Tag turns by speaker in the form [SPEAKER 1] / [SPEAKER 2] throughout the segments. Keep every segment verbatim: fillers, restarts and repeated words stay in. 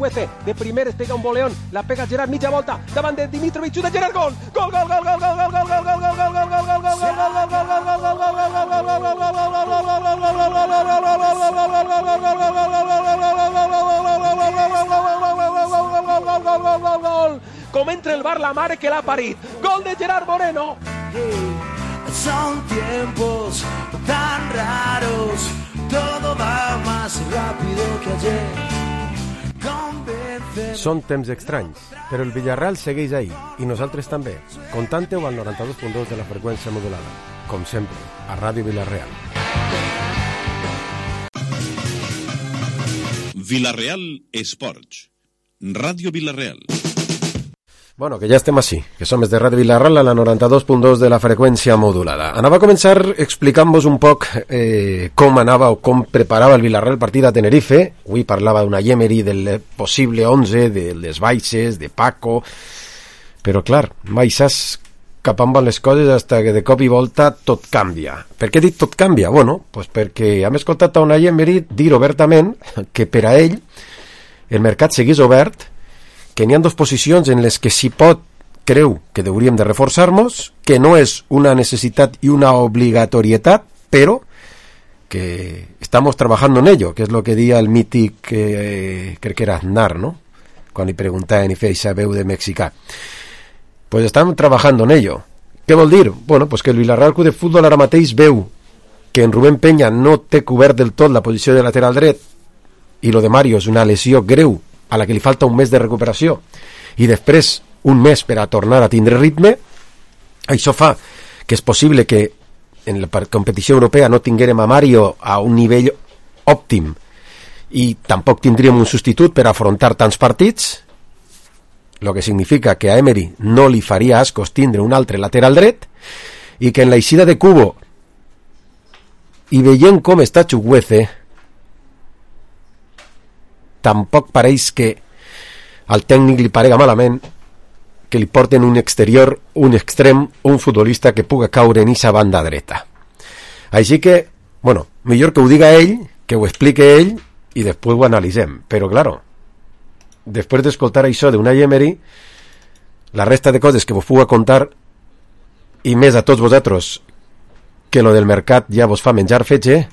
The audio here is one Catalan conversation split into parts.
[SPEAKER 1] Chukwueze, de primer es pega un boleón, la pega Gerard, mitja volta, davant de Dimitrovic, de Gerard, gol, gol, gol, gol, gol, gol, gol, gol, gol, gol, gol, gol, gol, gol, gol, gol, com entra el bar la mare que l'ha parit, gol de Gerard Moreno.
[SPEAKER 2] Son tiempos tan raros, todo va más rápido que ayer. Convénceme.
[SPEAKER 3] Són temps estranys, però el Villarreal segueix ahí, i nosaltres també. Contante-ho al noranta-dos punt dos de la freqüència modulada, com sempre, a Ràdio Villarreal.
[SPEAKER 4] Villarreal Esports, Ràdio Villarreal.
[SPEAKER 3] Bueno, que ja estem així, que som de Ràdio Villarreal a la noranta-dos punt dos de la freqüència modulada. Anava a començar explicant-vos un poc eh, com anava o com preparava el Villarreal el partit a Tenerife. Avui parlava d'una Emery, del possible onze, de les baixes, de Paco, però clar, mai saps cap on van les coses hasta que de cop i volta tot canvia. Per què he dit tot canvia? Bueno, pues perquè hem escoltat a una Emery dir obertament que per a ell el mercat seguís obert, que n'hi ha dues posicions en les que si pot creu que hauríem de reforçar-nos, que no és una necessitat i una obligatorietat, però que estamos trabajando en ello, que és lo que dia el mític, eh, crec que era Aznar, ¿no? Quan li preguntaven i feia esa veu de mexicà. Pues estem trabajando en ello. Què vol dir? Bueno, pues que el Villarreal Club de Futbol ara mateix veu que en Rubén Peña no té cobert del tot la posició de lateral dret i lo de Mario és una lesió greu a la que li falta un mes de recuperació i després un mes per a tornar a tindre ritme. Això fa que és possible que en la competició europea no tinguérem a Mario a un nivell òptim i tampoc tindríem un substitut per afrontar tants partits, lo que significa que a Emery no li faria ascos tindre un altre lateral dret, i que en la eixida de Cubo i veient com està Chukwueze tampoc pareix que al tècnic li parega malament que li porten un exterior, un extrem, un futbolista que puga caure en esa banda dreta. Així que, bueno, millor que ho diga ell, que ho explique ell i després ho analitzem. Però, claro, després d'escoltar això d'una Emery, la resta de coses que vos puga contar i més a tots vosaltres que lo del mercat ja vos fa menjar fetge,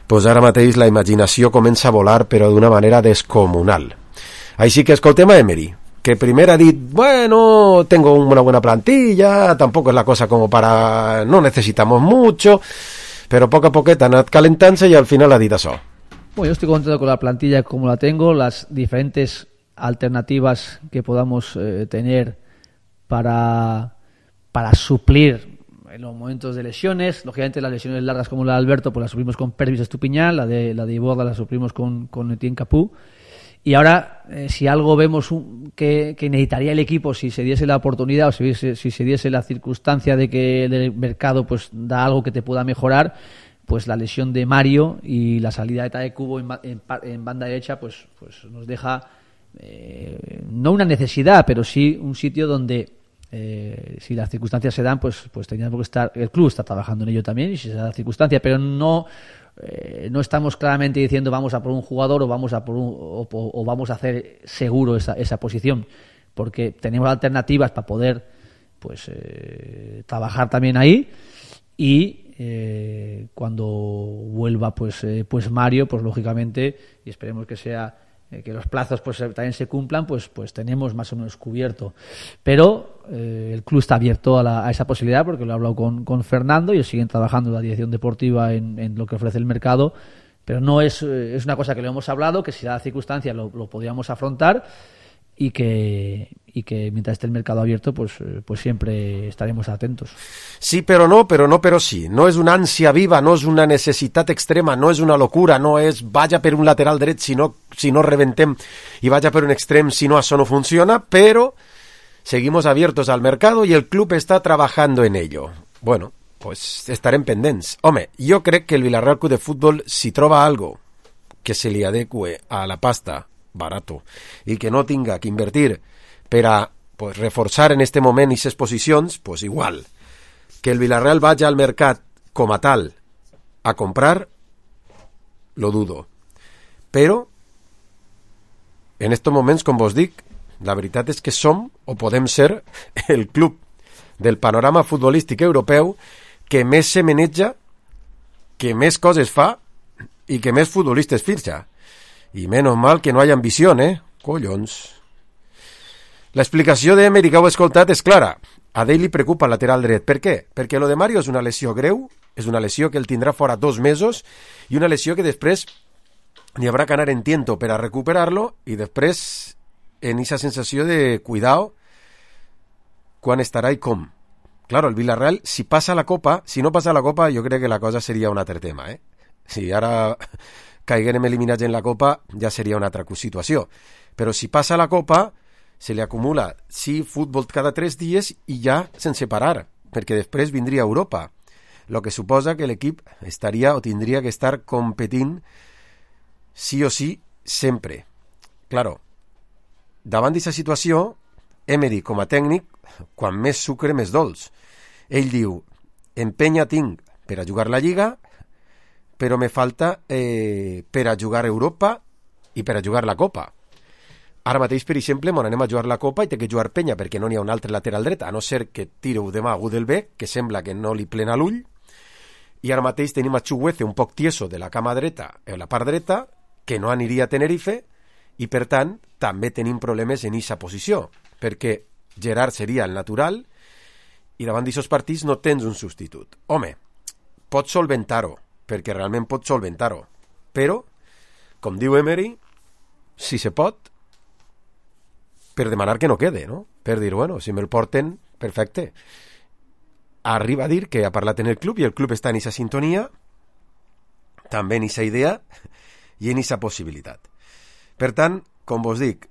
[SPEAKER 3] pues ara mateix la imaginació comença a volar però d'una manera descomunal. Així que escoltem a Emery, que primer ha dit, bueno, tengo una buena plantilla, tampoco es la cosa como para, no necesitamos mucho, pero poco a poco ha anat calentant-se y al final ha dit això.
[SPEAKER 5] Bueno, yo estoy contento con la plantilla como la tengo, las diferentes alternativas que podamos eh, tener para, para suplir en los momentos de lesiones. Lógicamente las lesiones largas como la de Alberto pues las suplimos con Pervis Estupiñán, la de la de Iborda la suplimos con, con Etienne Capú. Y ahora, eh, si algo vemos un, que, que necesitaría el equipo, si se diese la oportunidad o si, si se diese la circunstancia de que el mercado pues da algo que te pueda mejorar, pues la lesión de Mario y la salida de Tade Cubo en, en, en banda derecha pues, pues nos deja eh, no una necesidad, pero sí un sitio donde eh, si las circunstancias se dan, pues, pues tendríamos que estar, el club está trabajando en ello también, y si se da la circunstancia, pero no Eh, no estamos claramente diciendo vamos a por un jugador o vamos a por un, o, o vamos a hacer seguro esa, esa posición, porque tenemos alternativas para poder pues eh, trabajar también ahí, y eh, cuando vuelva pues eh, pues Mario, pues lógicamente, y esperemos que sea eh, que los plazos pues también se cumplan, pues pues tenemos más o menos cubierto, pero eh, el club está abierto a, la, a esa posibilidad, porque lo he hablado con, con Fernando, y ellos siguen trabajando en la dirección deportiva en, en lo que ofrece el mercado, pero no es, eh, es una cosa que lo hemos hablado, que si da la circunstancia lo, lo podríamos afrontar, y que y que mientras esté el mercado abierto pues pues siempre estaremos atentos.
[SPEAKER 3] Sí, però no, però no, però sí. No és una ànsia viva, no és una necessitat extrema, no és una locura, no és vaja per un lateral dret si no, si no reventem i vaja per un extrem si no això no funciona, però seguimos abiertos al mercado y el club está trabajando en ello. Bueno, pues estarem pendents. Home, jo crec que el Villarreal Club de Futbol, si troba algo que se li adecue a la pasta barato i que no tinga que invertir per a pues, reforçar en este moment aquestes posicions, pues igual. Que el Villarreal vaya al mercat com a tal a comprar, lo dudo. Però en estos moments, com vos dic, la veritat és que som, o podem ser, el club del panorama futbolístic europeu que més se maneja, que més coses fa i que més futbolistes fitxa. I menys mal que no hi ha ambició, eh? Collons. L'explicació d'Emery que heu escoltat és clara. A Dale li preocupa el lateral dret. Per què? Perquè lo de Mario és una lesió greu, és una lesió que el tindrà fora dos mesos i una lesió que després n'hi haurà que anar en tiento per a recuperar-lo i després en esa sensació de cuidado quan estarà i com. Claro, el Villarreal, si passa la Copa, si no passa la Copa, jo crec que la cosa seria un altre tema, eh? Si ara caiguem eliminats en la Copa, ja seria una altra situació. Però si passa la Copa, se li acumula, sí, futbol cada tres dies i ja sense parar, perquè després vindria Europa, lo que suposa que l'equip estaria o tindria que estar competint sí o sí sempre. Claro, davant d'aquesta situació, Emery, com a tècnic, quan més sucre, més dolç. Ell diu, empenya tinc per a jugar la Lliga, però me falta eh, per a jugar Europa i per a jugar la Copa. Ara mateix, per exemple, mon anem a jugar la Copa i té que jugar Penya perquè no n'hi ha un altre lateral dret, a no ser que tireu demà a Gudelbeck, que sembla que no li plena l'ull, i ara mateix tenim a Chuguece un poc tieso de la cama dreta, o la part dreta, que no aniria a Tenerife, i per tant també tenim problemes en aquesta posició, perquè Gerard seria el natural i davant d'aquests partits no tens un substitut. Home, pots solventar-ho, perquè realment pots solventar-ho, però, com diu Emery, si se pot, per demanar que no quede, no? Per dir, bueno, si me'l porten, perfecte. Arriba a dir que ha parlat en el club i el club està en aquesta sintonia, també en aquesta idea i en aquesta possibilitat. Per tant, com vos dic,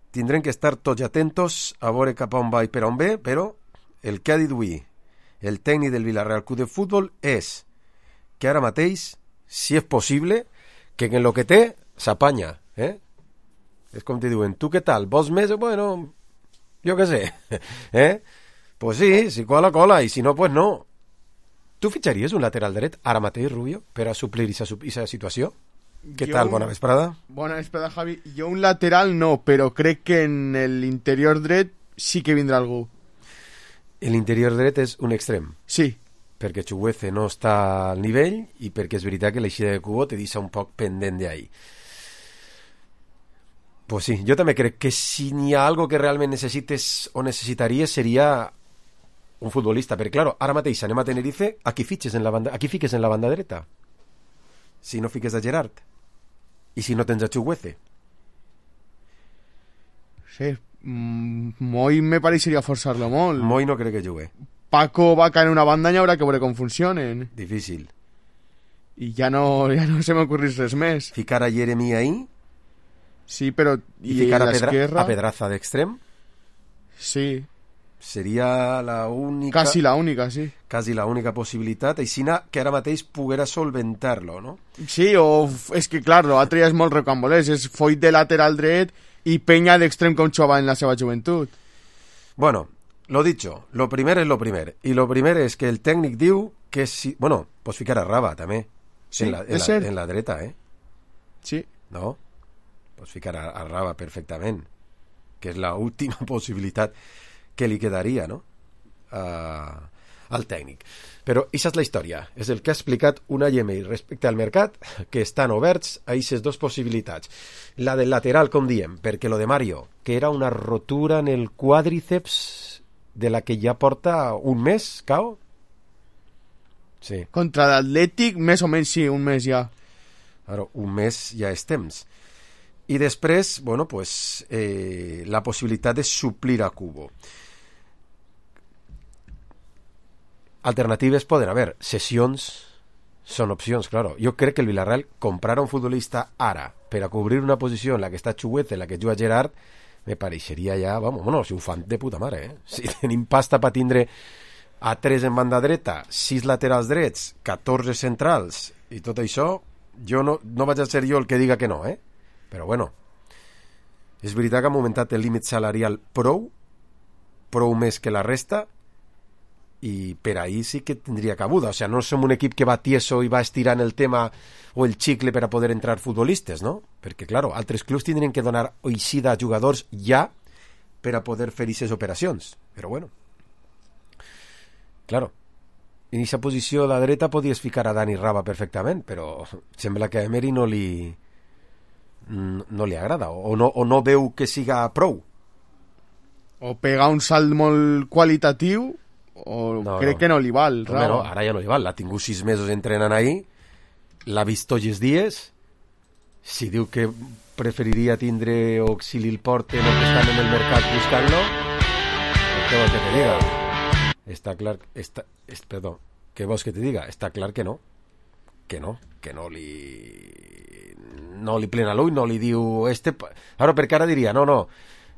[SPEAKER 3] tindrem que estar tots atentos a veure cap a on va i per on ve, però el que ha dit avui el tècnic del Villarreal Club de Futbol és que ara mateix, si és possible, que en el que té s'apanya, eh? És com te diuen, tu què tal? Vols més? Bueno, jo què sé. Eh? Pues sí, si cola, cola, i si no, pues no. Tu fitxaries un lateral dret ara mateix, Rubio, per a suplir aquesta situació? Què tal? Bona vesprada.
[SPEAKER 6] Bona vesprada, Javi. Jo un lateral no, però crec que en l'interior dret sí que vindrà algú.
[SPEAKER 3] L'interior dret és un extrem.
[SPEAKER 6] Sí.
[SPEAKER 3] Perquè Chuguece no està al nivell i perquè és veritat que l'eixida de Cubo te deixa un poc pendent d'ahí. Pues sí, jo també crec que si n'hi ha algo que realment necessites o necessitaries seria un futbolista, perquè claro, ara mateix anem a Tenerife, a qui fitxes en la banda, a qui fiques en la banda dreta? Si no fiques a Gerard i si no tens a Chuguece.
[SPEAKER 6] Sí, Moi me pareixeria forçar-lo molt.
[SPEAKER 3] Moi no crec que jugui.
[SPEAKER 6] Paco va caer en una banda i haurà que veure com funcionen.
[SPEAKER 3] Difícil.
[SPEAKER 6] I ja no, ja no se m'ocorrís res més.
[SPEAKER 3] Ficar a Jeremy ahí.
[SPEAKER 6] Sí, però...
[SPEAKER 3] I, I ficar a, Pedra, a Pedraza d'extrem.
[SPEAKER 6] Sí.
[SPEAKER 3] Seria la única...
[SPEAKER 6] Quasi la única, sí.
[SPEAKER 3] Quasi la única possibilitat. Aixina que ara mateix poguera solventar-lo, no?
[SPEAKER 6] Sí, o... És que, clar, l'altre ja és molt recambolès. És Foyt de lateral dret i Penya d'extrem com jugava en la seva joventut.
[SPEAKER 3] Bueno, lo dicho. Lo primer és lo primer. I lo primer és que el tècnic diu que si... Bueno, pots ficar a Raba, també.
[SPEAKER 6] Sí,
[SPEAKER 3] en la, en
[SPEAKER 6] és
[SPEAKER 3] la,
[SPEAKER 6] cert.
[SPEAKER 3] En la dreta, eh?
[SPEAKER 6] Sí.
[SPEAKER 3] No? Pots ficar a, a Raba perfectament, que és l'última possibilitat que li quedaria, no? Uh, al tècnic. Però això és la història. És el que ha explicat una Email respecte al mercat, que estan oberts a aquestes dues possibilitats. La del lateral, com diem, perquè lo de Mario, que era una rotura en el quàdriceps de la que ja porta un mes, Cao? Sí.
[SPEAKER 6] Contra l'Atlètic, més o menys sí, un mes ja.
[SPEAKER 3] Ara, un mes ja és temps. I després, bueno, pues, eh, la possibilitat de suplir a Cubo. Alternatives poden haver. Sessions són opcions, claro. Jo crec que el Villarreal comprar un futbolista ara per a cobrir una posició en la que està Chuguete, en la que juga Gerard, me pareixeria ja, vamos, bueno, si ho fan de puta mare, eh? Si tenim pasta per tindre a tres en banda dreta, sis laterals drets, catorze centrals i tot això, jo no, no vaig a ser jo el que diga que no, eh? Però bueno, és veritat que ha augmentat el límit salarial prou, prou més que la resta, i per ahí sí que tindria cabuda. O sea, no som un equip que va tieso i va estirant el tema o el xicle per a poder entrar futbolistes, no? Perquè, claro, altres clubs tindrien que donar oixida a jugadors ja per a poder fer aquestes operacions. Però bueno, claro, en aquesta posició a la dreta podies ficar a Dani Raba perfectament, però sembla que a Emery no li no li agrada o no, o no veu que siga prou.
[SPEAKER 6] O pega un salt molt qualitatiu o
[SPEAKER 3] no,
[SPEAKER 6] crec
[SPEAKER 3] no.
[SPEAKER 6] que no li val.
[SPEAKER 3] No, no, ara ja no li val. L'ha tingut sis mesos entrenant ahí, l'ha vist tots els dies. Si diu que preferiria tindre o si li porten o que estan en el mercat buscant-lo, què vols que te diga? Està clar... Està, és, perdó, què vols que te diga? Està clar que no. Que no, que no li... No li plena l'ull, no li diu... Este... Ara, perquè ara diria, no, no,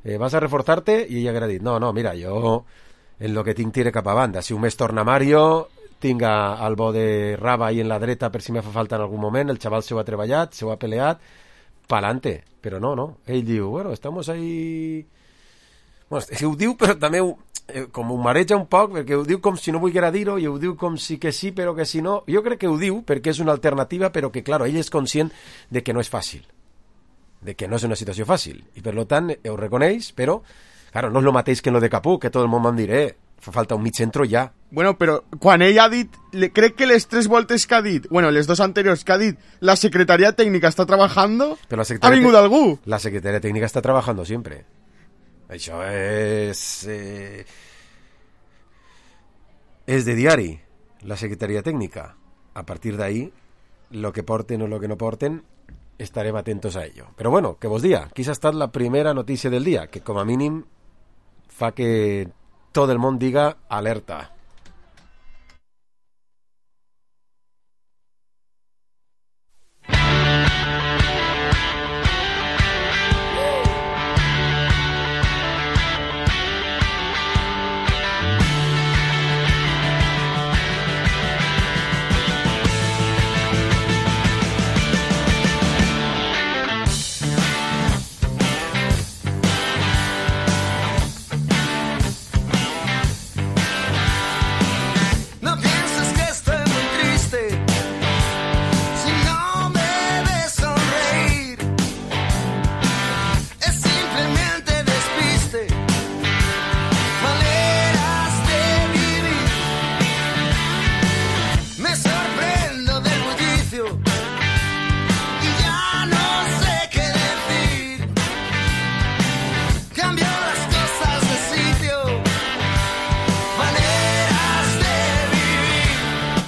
[SPEAKER 3] eh, vas a reforzar-te, i ella haurà dit, no, no, mira, jo en lo que tinc tire cap a banda. Si un mes torna Mario, tinc al bo de Raba ahí en la dreta per si me fa falta en algun moment, el xaval se ho ha treballat, se ho ha peleat, pa'lante. Però no, no, ell diu, bueno, estamos ahí... Bueno, és que ho diu, però també ho, eh, com ho mareja un poc, perquè ho diu com si no volguera dir-ho, i ho diu com si que sí, però que si no. Jo crec que ho diu perquè és una alternativa, però que, claro, ell és conscient de que no és fàcil, de que no és una situació fàcil, i per tant ho reconeix, però, claro, no és el mateix que en lo de Capú, que tot el món vam dir, eh, fa falta un mig centro ja.
[SPEAKER 6] Bueno, però quan ell ha dit, le, crec que les tres voltes que ha dit, bueno, les dos anteriors que ha dit, la secretaria tècnica està trabajando,
[SPEAKER 3] però la
[SPEAKER 6] ha vingut
[SPEAKER 3] te...
[SPEAKER 6] algú.
[SPEAKER 3] La secretaria tècnica està trabajando sempre. Això és... Eh... és de diari, la secretaria tècnica. A partir d'ahí, lo que porten o lo que no porten, estarem atentos a ello. Però bueno, què vos dia? Quizá ha estat la primera notícia del dia, que com a mínim fa que tot el món diga alerta.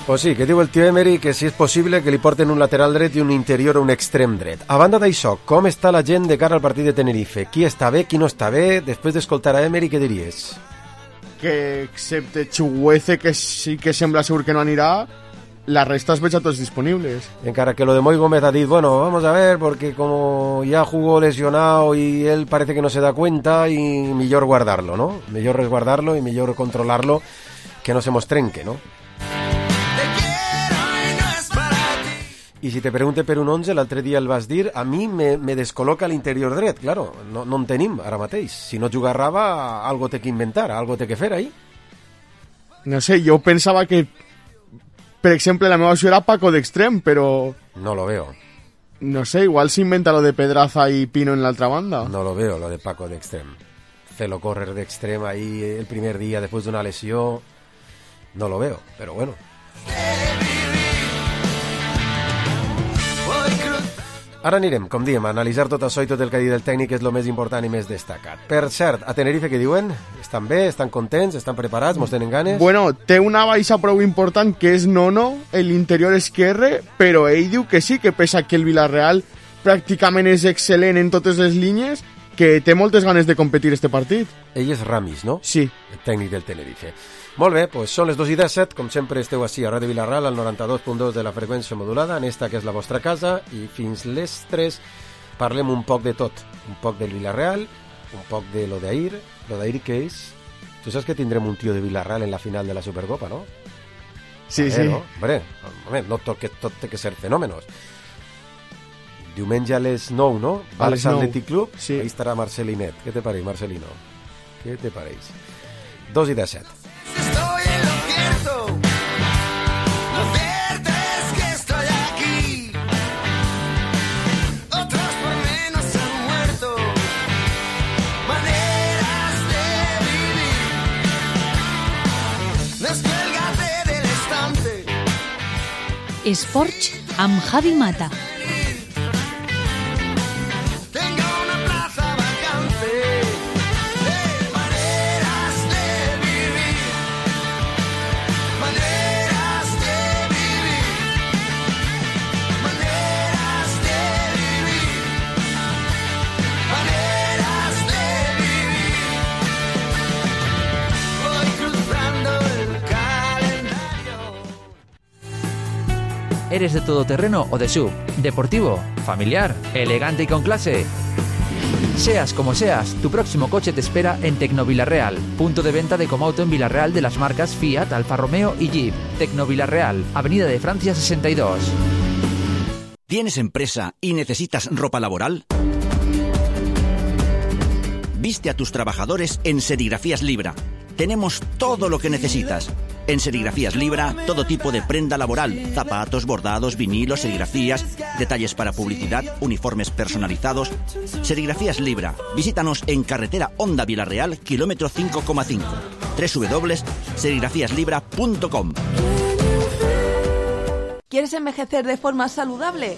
[SPEAKER 3] Pues sí, que diu el tio Emery que si és possible que li porten un lateral dret i un interior o un extrem dret. A banda d'això, com està la gent de cara al partit de Tenerife? Qui està bé, qui no està bé? Després d'escoltar a Emery, què diries?
[SPEAKER 6] Que excepte Chuguece, que sí que sembla segur que no anirà, la resta es veig a tots disponibles.
[SPEAKER 3] Encara que lo de Moy Gómez ha dit, bueno, vamos a ver, porque como ya jugó lesionado y él parece que no se da cuenta, y mejor guardarlo, ¿no? Mejor resguardarlo y mejor controlarlo, que no se mos trenque, ¿no? I si te pregunte per un onze, l'altre dia el vas dir, a mi me, me descol·loca l'interior dret, claro, no, no en tenim ara mateix. Si no juga Raba, algo té que inventar, algo té que fer ahí.
[SPEAKER 6] No sé, jo pensava que, per exemple, la meva opció era Paco d'extrem, però...
[SPEAKER 3] No lo veo.
[SPEAKER 6] No sé, igual s'inventa lo de Pedraza i Pino en l'altra banda.
[SPEAKER 3] No lo veo, lo de Paco d'extrem. Felo correr d'extrem ahí el primer dia després d'una lesió, no lo veo, però bueno. Ara anirem, com diem, a analitzar tot això i tot el que ha dit el tècnic és el més important i més destacat. Per cert, a Tenerife què diuen? Estan bé? Estan contents? Estan preparats? Mos tenen ganes?
[SPEAKER 6] Bueno, té una baixa prou important que és Nono, l'interior esquerre, però ell diu que sí, que pesa que el Villarreal pràcticament és excel·lent en totes les línies, que té moltes ganes de competir este partit.
[SPEAKER 3] Ell és Ramis, no?
[SPEAKER 6] Sí.
[SPEAKER 3] El tècnic del Tenerife. Molt bé, doncs són les dos i disset, com sempre esteu així a Ràdio Vilarral, al noranta-dos punt dos de la freqüència modulada, en esta que és la vostra casa, i fins les tres parlem un poc de tot, un poc del Villarreal, un poc de lo d'ahir, lo d'ahir que és... Tu saps que tindrem un tio de Villarreal en la final de la Supercopa, no?
[SPEAKER 6] Sí,
[SPEAKER 3] ver,
[SPEAKER 6] sí.
[SPEAKER 3] No? Hombre, hombre, no tot, que tot té que ser fenòmenos. Diumenge a les nou, no? Barça Athletic Club,
[SPEAKER 6] sí.
[SPEAKER 3] Ahí estarà Marcelinet. Què te pareix, Marcelino? Què te pareix? Dos i disset.
[SPEAKER 2] Estoy en lo que
[SPEAKER 7] Esports amb Javi Mata.
[SPEAKER 8] ¿Eres de todoterreno o de S U V? ¿Deportivo? ¿Familiar? ¿Elegante y con clase? Seas como seas, tu próximo coche te espera en Tecnovilarreal, punto de venta de Comauto en Villarreal de las marcas Fiat, Alfa Romeo y Jeep. Tecnovilarreal, Avenida de Francia sesenta y dos.
[SPEAKER 9] ¿Tienes empresa y necesitas ropa laboral? Viste a tus trabajadores en Serigrafías Libra. Tenemos todo lo que necesitas. En Serigrafías Libra, todo tipo de prenda laboral, zapatos, bordados, vinilos, serigrafías, detalles para publicidad, uniformes personalizados. Serigrafías Libra. Visítanos en carretera Honda Villarreal, kilómetro cinco coma cinco. doble u doble u doble u punto serigrafías libra punto com.
[SPEAKER 10] ¿Quieres envejecer de forma saludable?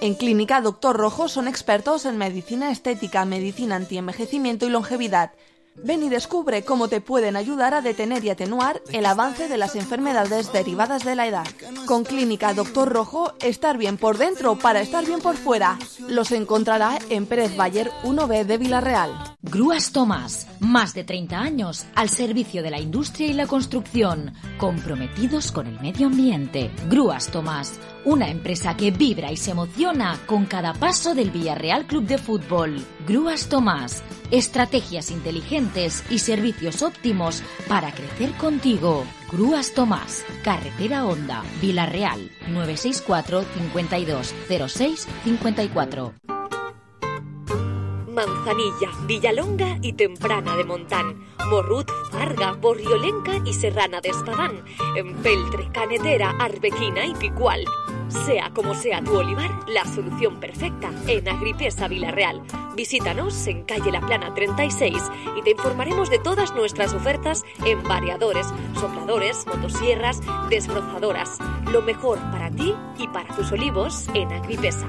[SPEAKER 10] En Clínica Doctor Rojo son expertos en medicina estética, medicina antienvejecimiento y longevidad. Ven y descubre cómo te pueden ayudar a detener y atenuar el avance de las enfermedades derivadas de la edad. Con Clínica Doctor Rojo, estar bien por dentro para estar bien por fuera. Los encontrará en Pérez Bayer uno B de Villarreal.
[SPEAKER 7] Grúas Tomás, más de treinta años al servicio de la industria y la construcción, comprometidos con el medio ambiente. Grúas Tomás, una empresa que vibra y se emociona con cada paso del Villarreal Club de Fútbol. Grúas Tomás, estrategias inteligentes y servicios óptimos para crecer contigo. Grúas Tomás, carretera Honda, Villarreal, nueve seis cuatro, cincuenta y dos, cero seis, cincuenta y cuatro.
[SPEAKER 11] Manzanilla, Villalonga y Temprana de Montán, Morrut, Farga, Borriolenca y Serrana de Espadán, Empeltre, Canetera, Arbequina y Picual. Sea como sea tu olivar, la solución perfecta en Agripesa Villarreal. Visítanos en calle La Plana treinta y seis y te informaremos de todas nuestras ofertas en variadores, sopladores, motosierras, desbrozadoras. Lo mejor para ti y para tus olivos en Agripesa.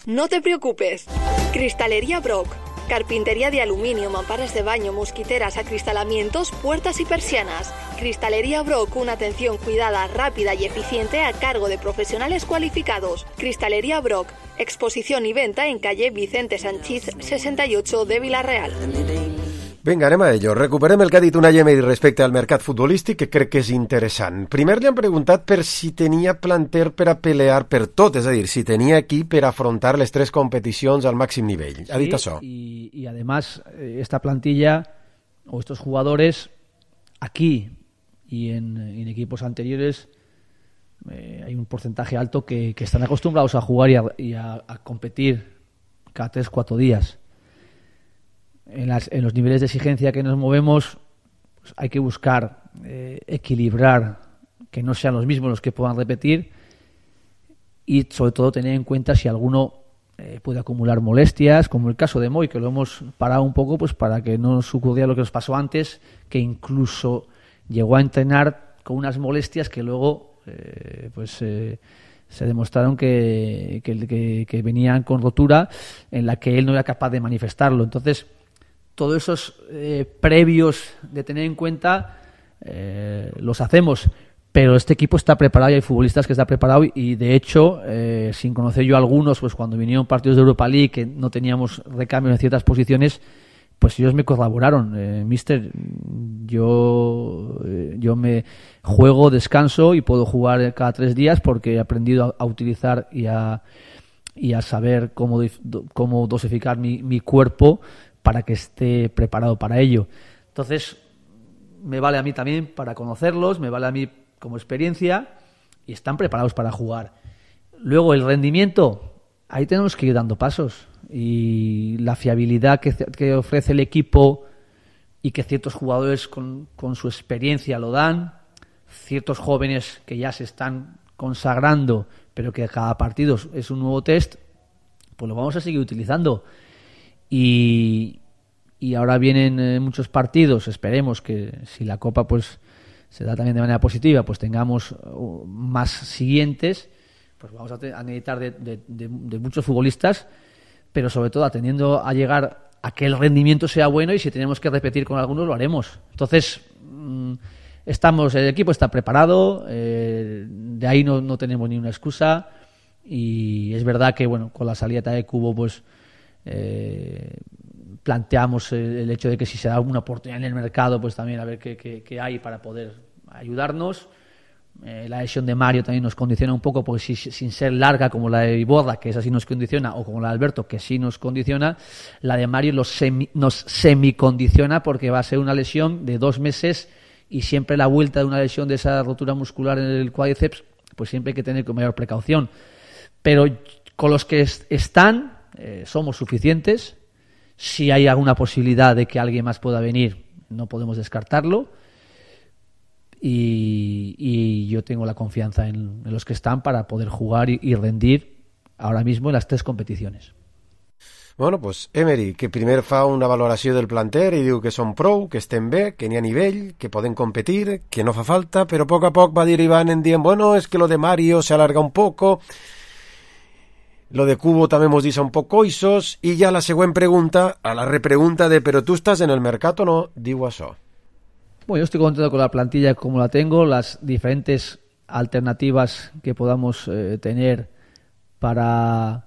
[SPEAKER 11] No te preocupes. Cristalería Brock. Carpintería de aluminio, mamparas de baño, mosquiteras, acristalamientos, puertas y persianas. Cristalería Brock, una atención cuidada, rápida y eficiente a cargo de profesionales cualificados. Cristalería Brock, exposición y venta en calle Vicente Sanchís sesenta y ocho de Villarreal.
[SPEAKER 3] Vinga, anem a ello. Recuperem el que ha dit una Gemma respecte al mercat futbolístic, que crec que és interessant. Primer li han preguntat per si tenia planter per a pelear per tot, és a dir, si tenia equip per afrontar les tres competicions al màxim nivell. Ha dit això.
[SPEAKER 5] Y, y además, esta plantilla o estos jugadores aquí y en, en equipos anteriores eh, hay un porcentaje alto que, que están acostumbrados a jugar y a, y a, a competir cada tres, cuatro días. En, las, en los niveles de exigencia que nos movemos, pues hay que buscar eh, equilibrar, que no sean los mismos los que puedan repetir y sobre todo tener en cuenta si alguno eh, puede acumular molestias, como el caso de Moy, que lo hemos parado un poco pues para que no nos ocurriera lo que nos pasó antes, que incluso llegó a entrenar con unas molestias que luego eh, pues eh, se demostraron que, que, que, que venían con rotura, en la que él no era capaz de manifestarlo. Entonces, todos esos eh, previos de tener en cuenta eh, los hacemos, pero este equipo está preparado y hay futbolistas que están preparados y de hecho, eh, sin conocer yo a algunos, pues cuando vinieron partidos de Europa League que no teníamos recambios en ciertas posiciones, pues ellos me corroboraron, eh, mister, yo, eh, yo me juego, descanso y puedo jugar cada tres días porque he aprendido a, a utilizar y a, y a saber cómo, cómo dosificar mi, mi cuerpo para que esté preparado para ello. Entonces, me vale a mí también para conocerlos, me vale a mí como experiencia y están preparados para jugar. Luego, el rendimiento, ahí tenemos que ir dando pasos y la fiabilidad que, que ofrece el equipo y que ciertos jugadores con, con su experiencia lo dan, ciertos jóvenes que ya se están consagrando, pero que cada partido es un nuevo test, pues lo vamos a seguir utilizando. Y, y ahora vienen eh, muchos partidos, esperemos que si la Copa pues se da también de manera positiva, pues tengamos uh, más siguientes, pues vamos a, te- a necesitar de, de, de, de muchos futbolistas, pero sobre todo atendiendo a llegar a que el rendimiento sea bueno, y si tenemos que repetir con algunos lo haremos. Entonces, mmm, estamos, el equipo está preparado, eh, de ahí no, no tenemos ni una excusa, y es verdad que bueno, con la salida de Cubo pues eh, planteamos el, el hecho de que si se da una oportunidad en el mercado, pues también a ver qué, qué, qué hay para poder ayudarnos. Eh, la lesión de Mario también nos condiciona un poco, porque si, sin ser larga como la de Iborra, que esa sí nos condiciona, o como la de Alberto, que sí nos condiciona, la de Mario los semi, nos semicondiciona, porque va a ser una lesión de dos meses, y siempre la vuelta de una lesión de esa rotura muscular en el cuádriceps, pues siempre hay que tener con mayor precaución. Pero con los que est- están, eh, somos suficientes. Si hay alguna posibilidad de que alguien más pueda venir, no podemos descartarlo. Y, y yo tengo la confianza en, en los que están para poder jugar y, y rendir ahora mismo en las tres competiciones.
[SPEAKER 3] Bueno, pues Emery, que primer fa una valoració del planter i diu que són prou, que estem bé, que n'hi ha nivell, que poden competir, que no fa falta, però a poc a poc va derivant en dient, bueno, es que lo de Mario se alarga un poco, lo de Cubo també mos deixa un poc coixos, i ja la següent pregunta, a la repregunta de però tu estàs en el mercat o no, diu això.
[SPEAKER 5] Bueno, yo estoy contento con la plantilla como la tengo, las diferentes alternativas que podamos eh, tener para,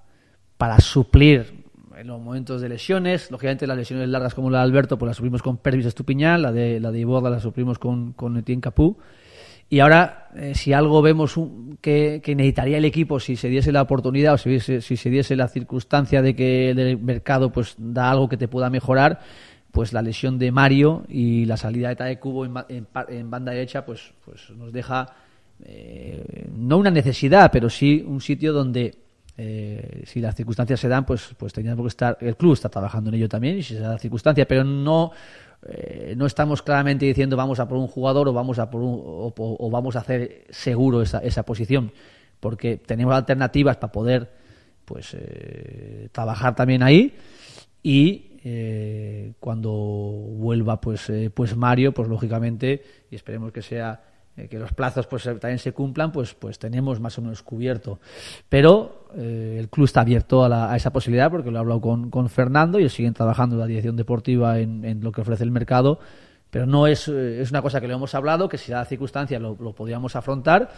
[SPEAKER 5] para suplir en los momentos de lesiones. Lógicamente las lesiones largas como la de Alberto pues las suplimos con Pervis Estupiñán, la de la de Iborra la suplimos con, con Etienne Capú. Y ahora, eh, si algo vemos un, que, que necesitaría el equipo, si se diese la oportunidad o si, diese, si se diese la circunstancia de que el mercado pues da algo que te pueda mejorar, pues la lesión de Mario y la salida de Tae Cubo en, en, en banda derecha pues, pues nos deja eh, no una necesidad, pero sí un sitio donde eh, si las circunstancias se dan, pues, pues tendríamos que estar, el club está trabajando en ello también, y si se da la circunstancia, pero no eh, no estamos claramente diciendo vamos a por un jugador o vamos a por un, o, o vamos a hacer seguro esa, esa posición, porque tenemos alternativas para poder pues eh, trabajar también ahí. Y eh, cuando vuelva pues eh, pues Mario, pues lógicamente, y esperemos que sea eh, que los plazos pues también se cumplan, pues pues tenemos más o menos cubierto. Pero eh, el club está abierto a, la, a esa posibilidad, porque lo he hablado con, con Fernando, y ellos siguen trabajando en la dirección deportiva en, en lo que ofrece el mercado, pero no es, eh, es una cosa que lo hemos hablado, que si da la circunstancia lo, lo podríamos afrontar,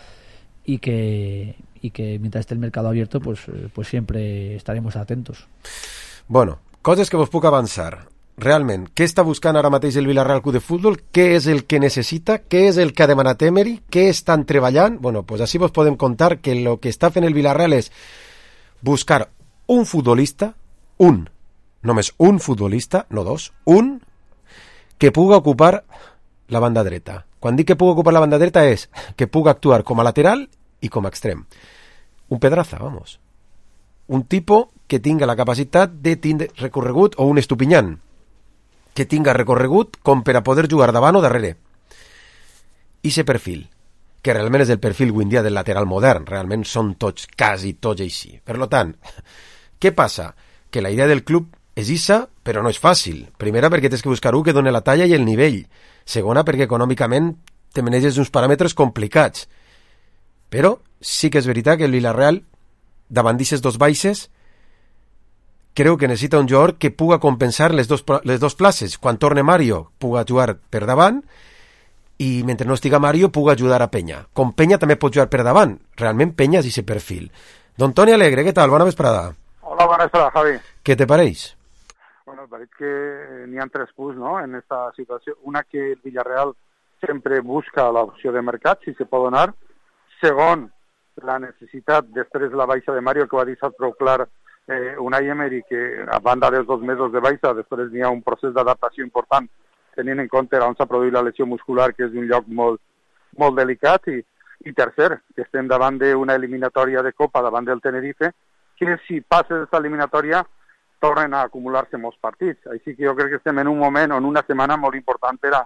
[SPEAKER 5] y que y que mientras esté el mercado abierto pues eh, pues siempre estaremos atentos.
[SPEAKER 3] Bueno, coses que vos puc avançar. Realment, què està buscant ara mateix el Villarreal Club de Futbol? Què és el que necessita? Què és el que ha demanat Emery? Què estan treballant? Bueno, pues així vos podem contar que el que està fent el Villarreal és buscar un futbolista, un, només un futbolista, no dos, un, que puga ocupar la banda dreta. Quan dic que puga ocupar la banda dreta és que puga actuar com a lateral i com a extrem. Un Pedraza, vamos. Un tipo que tinga la capacitat de tindre recorregut, o un Estupiñán, que tinga recorregut com per a poder jugar davant o darrere. I ese perfil, que realment és el perfil avui en dia del lateral modern, realment són tots, quasi tots així. Per tant, què passa? Que la idea del club és issa, però no és fàcil. Primera, perquè tens que buscar un que doni la talla i el nivell. Segona, perquè econòmicament te maneges uns paràmetres complicats. Però sí que és veritat que el Villarreal, davant d'aquestes dos baixes, creu que necessita un jugador que puga compensar les dos, les dos places. Quan torne Mario, puga jugar per davant, i mentre no estiga Mario, puga ajudar a Peña. Com Peña també pot jugar per davant. Realment Peña és aquest perfil. Don Toni Alegre, què tal? Bona vesprada.
[SPEAKER 12] Hola, bona vesprada, Javi.
[SPEAKER 3] Què te pareix?
[SPEAKER 12] Bueno, pareix que n'hi ha tres punts, ¿no?, en esta situació. Una, que el Villarreal sempre busca l'opció de mercat, si se pot donar. Segon, la necessitat, després la baixa de Mario, que va deixar prou clar eh, Unai Emery, que a banda dels dos mesos de baixa, després n'hi ha un procés d'adaptació important, tenint en compte on s'ha produït la lesió muscular, que és un lloc molt, molt delicat. I, i tercer, que estem davant d'una eliminatòria de Copa, davant del Tenerife, que si passa aquesta eliminatòria tornen a acumular-se molts partits. Així que jo crec que estem en un moment o en una setmana molt important per a,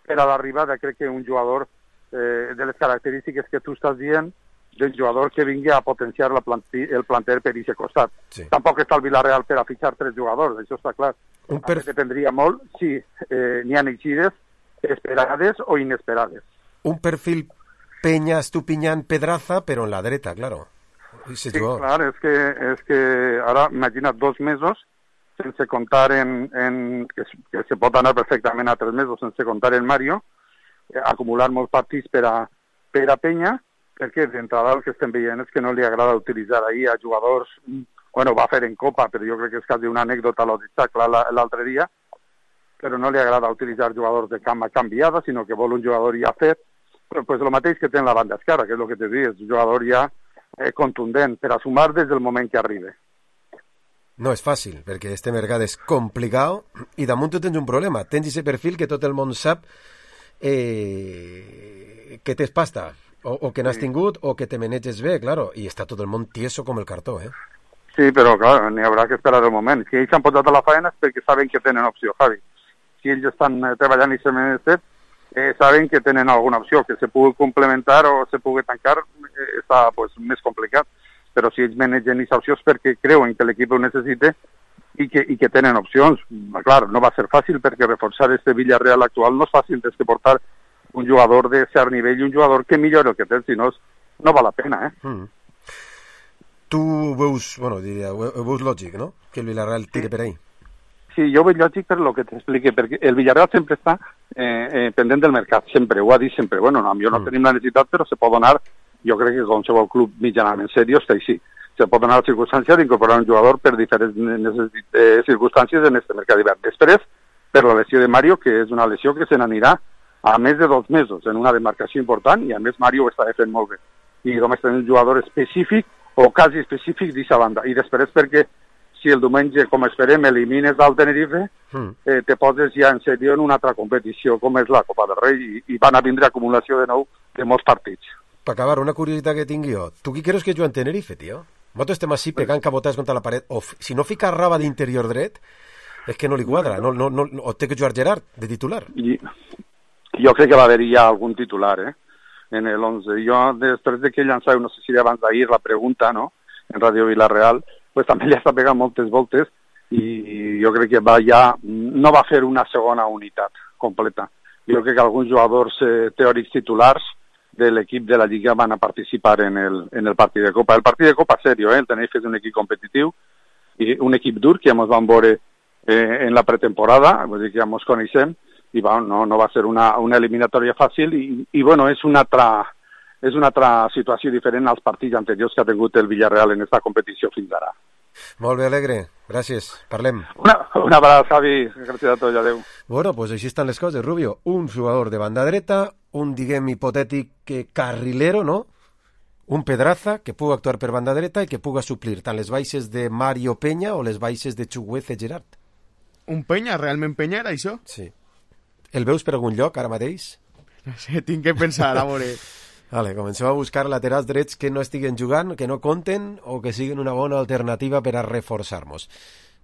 [SPEAKER 12] per a l'arribada, crec que un jugador eh, de les característiques que tu estàs dient, del jugador que vingui a potenciar la planti, el planter per aquest costat. Sí. Tampoc està el Villarreal per a fitxar tres jugadors, això està clar. Per... Dependria molt si eh, n'hi ha eixides esperades o inesperades.
[SPEAKER 3] un perfil Peña, Estupiñán, Pedraza, però en la dreta, claro.
[SPEAKER 12] Sí, clar, és que, és que ara, imagina't, dos mesos sense comptar en, en que, que se pot anar perfectament a tres mesos sense comptar en Mario, eh, acumular molts partits per a, per a Peña, perquè d'entrada el que estem veient és que no li agrada utilitzar ahir a jugadors, bueno, va fer en Copa, però jo crec que és quasi una anècdota l'ho dit l'altre dia, però no li agrada utilitzar jugadors de cama canviada, sinó que vol un jugador ja fet, però pues, el mateix que té en la banda esquerra, que és el que t'he dit, és un jugador ja eh, contundent per a sumar des del moment que arriba.
[SPEAKER 3] No és fàcil, perquè este mercat és complicat i damunt tu tens un problema. Tens aquest perfil que tot el món sap eh, que tens pasta, o, o que n'has sí. tingut, o que te maneges bé, claro, i està tot el món tieso com el cartó, eh?
[SPEAKER 12] Sí, però clar, n'hi haurà que esperar el moment. Si ells s'han posat a la faena és perquè saben que tenen opció, Javi. Si ells estan eh, treballant i se menester, eh, saben que tenen alguna opció, que se pugui complementar o se pugui tancar, eh, està pues, més complicat. Però si ells manegen aquesta opció és perquè creuen que l'equip ho necessita i que, i que tenen opcions. Clar, no va ser fàcil perquè reforçar este Villarreal actual no és fàcil, des que portar un jugador de cert nivell i un jugador que millora el que té, si no, no val la pena, eh? Mm.
[SPEAKER 3] Tu veus, bueno, diria, veus lògic, no?, que el Villarreal tiri sí. per ahí.
[SPEAKER 12] Sí, jo veig lògic per lo que t'explique, perquè el Villarreal sempre està eh, eh, pendent del mercat, sempre, ho ha dit sempre. Bueno, no, jo no mm. tenim la necessitat, però se pot donar, jo crec que qualsevol club mitjanament seriós està així. Se pot donar la circumstància d'incorporar un jugador per diferents eh, circumstàncies en aquest mercat d'hivern. Després, per la lesió de Mario, que és una lesió que se n'anirà a més de dos mesos, en una demarcació important, i a més Mario ho està fent molt bé. I només tenim un jugador específic, o quasi específic d'aquesta banda. I després perquè si el diumenge, com esperem, elimines del Tenerife, mm. eh, te poses ja en sèrio en una altra competició, com és la Copa del Rei, i, i van a vindre acumulació de nou de molts partits.
[SPEAKER 3] Per acabar, una curiositat que tinc jo. Tu qui creus que juga en Tenerife, tio? Nosaltres estem així pegant cabotades contra la paret. O si no fica Raba d'interior dret, és que no li quadra. No, no, no, o té que jugar Gerard, de titular. I,
[SPEAKER 12] jo crec que va haver ja algun titular, eh? En el once. Jo, després de que llançava, no sé si abans d'ahir, la pregunta, no?, en Ràdio Villarreal, pues també li està pegant moltes voltes i jo crec que va ja, no va fer una segona unitat completa. Jo crec que alguns jugadors eh, teòrics titulars de l'equip de la Lliga van a participar en el, en el partit de Copa. El partit de Copa, serio, eh? El Tenerife és un equip competitiu i un equip dur que ja ens van veure eh, en la pretemporada, vull dir que ja ens coneixem, i va, no, no va ser una, una eliminatòria fàcil i, i bueno, és una altra, és una altra situació diferent als partits anteriors que ha tingut el Villarreal en aquesta competició fins ara.
[SPEAKER 3] Molt bé, Alegre. Gràcies. Parlem.
[SPEAKER 12] Una, una abraçada, Javi. Gràcies a tots. Adéu.
[SPEAKER 3] Bueno, pues així estan les coses, Rubio. Un jugador de banda dreta, un, diguem, hipotètic carrilero, no? Un Pedraza que puga actuar per banda dreta i que puga suplir tant les baixes de Mario Peña o les baixes de Chuguece Gerard.
[SPEAKER 6] Un Peña? Realment Peña era això?
[SPEAKER 3] Sí. El veus per algun lloc ara mateix?
[SPEAKER 6] No sé, tinc que pensar, a veure.
[SPEAKER 3] Vale, comencem a buscar laterals drets que no estiguen jugant, que no compten o que siguin una bona alternativa per a reforçar-nos.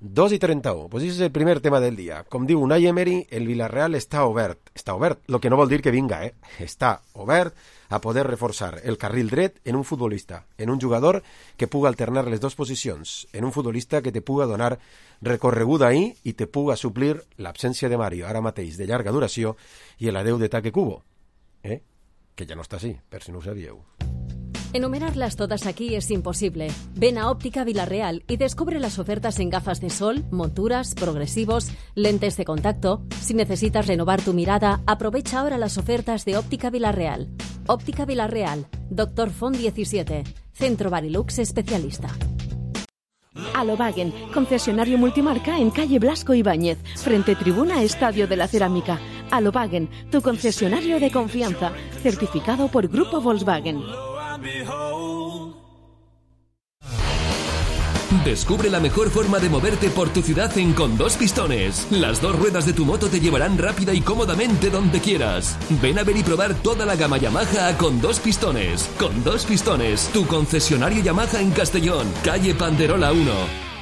[SPEAKER 3] dos i trenta-u, pues això és el primer tema del dia. Com diu Unai Emery, el Villarreal està obert. Està obert, el que no vol dir que vinga, eh? Està obert a poder reforçar el carril dret en un futbolista, en un jugador que puga alternar les dues posicions, en un futbolista que te puga donar recorreguda ahí i te puga suplir l'absència de Mario, ara mateix de llarga duració, i l'adeu de Taque Cubo, eh? Que ja no està així, per si no ho sabíeu.
[SPEAKER 11] Enumerarlas todas aquí es imposible. Ven a Óptica Villarreal y descubre las ofertas en gafas de sol, monturas, progresivos, lentes de contacto. Si necesitas renovar tu mirada, aprovecha ahora las ofertas de Óptica Villarreal. Óptica Villarreal, Doctor Font diecisiete, Centro Barilux especialista.
[SPEAKER 13] Alobagen, concesionario multimarca en calle Blasco Ibáñez, frente tribuna Estadio de la Cerámica. Alobagen, tu concesionario de confianza, certificado por Grupo Volkswagen.
[SPEAKER 14] Descubre la mejor forma de moverte por tu ciudad en Con Dos Pistones. Las dos ruedas de tu moto te llevarán rápida y cómodamente donde quieras. Ven a ver y probar toda la gama Yamaha a Con Dos Pistones. Con Dos Pistones, tu concesionario Yamaha en Castellón, calle Panderola uno.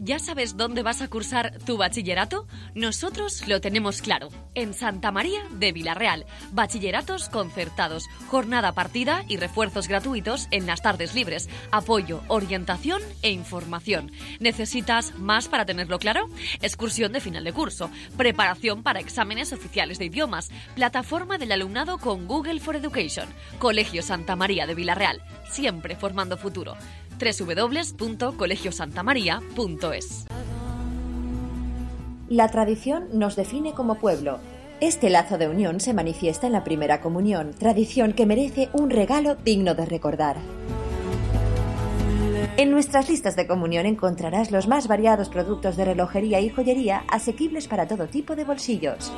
[SPEAKER 11] ¿Ya sabes dónde vas a cursar tu bachillerato? Nosotros lo tenemos claro. En Santa María de Vilarreal. Bachilleratos concertados, jornada partida y refuerzos gratuitos en las tardes libres. Apoyo, orientación e información. ¿Necesitas más para tenerlo claro? Excursión de final de curso. Preparación para exámenes oficiales de idiomas. Plataforma del alumnado con Google for Education. Colegio Santa María de Vilarreal. Siempre formando futuro. doble u doble u doble u punto colegio santa maría punto es.
[SPEAKER 15] La tradición nos define como pueblo. Este lazo de unión se manifiesta en la primera comunión, tradición que merece un regalo digno de recordar. En nuestras listas de comunión encontrarás los más variados productos de relojería y joyería asequibles para todo tipo de bolsillos.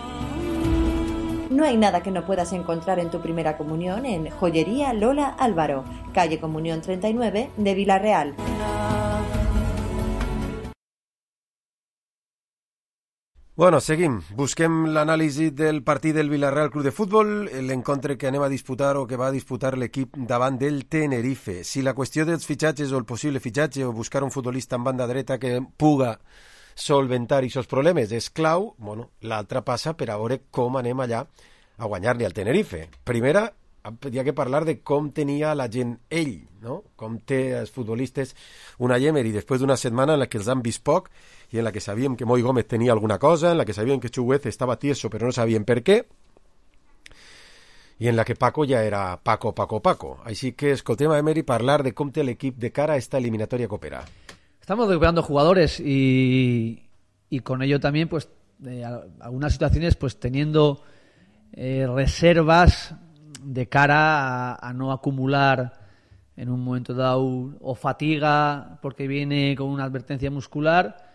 [SPEAKER 15] No hay nada que no puedas encontrar en tu primera comunión en Joyería Lola Álvaro, calle Comunión treinta y nueve de Vilarreal.
[SPEAKER 3] Bueno, seguim. Busquem l'anàlisi del partit del Villarreal Club de Futbol, l'encontre que anem a disputar o que va a disputar l'equip davant del Tenerife. Si la qüestió dels fitxatges o el possible fitxatge o buscar un futbolista en banda dreta que puga solventar aquests problemes és clau, bueno, l'altra passa per a veure com anem allà a guanyar-li al Tenerife. Primera, hi ha que parlar de com tenia la gent ell, no? Com té els futbolistes una Emery després d'una setmana en la que els han vist poc i en la que sabíem que Moi Gómez tenia alguna cosa, en la que sabíem que Chuguez estava tieso però no sabíem per què, i en la que Paco ja era Paco, Paco, Paco. Així que escoltem a Emery parlar de com té l'equip de cara a esta eliminatòria que opera.
[SPEAKER 5] Estamos recuperando jugadores y, y con ello también, pues, eh, algunas situaciones, pues, teniendo eh, reservas de cara a, a no acumular en un momento dado o fatiga porque viene con una advertencia muscular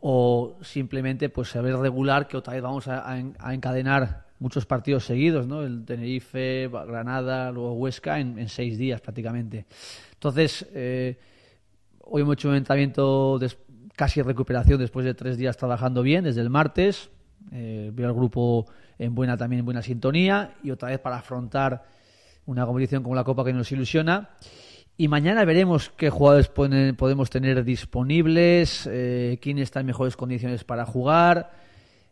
[SPEAKER 5] o simplemente, pues, saber regular que otra vez vamos a, a encadenar muchos partidos seguidos, ¿no? El Tenerife, Granada, luego Huesca en, en seis días prácticamente. Entonces, eh, hoy hemos hecho un entrenamiento de casi recuperación después de tres días trabajando bien, desde el martes. Eh, veo al grupo en buena también en buena sintonía y otra vez para afrontar una competición como la Copa que nos ilusiona. Y mañana veremos qué jugadores ponen, podemos tener disponibles, eh, quién está en mejores condiciones para jugar.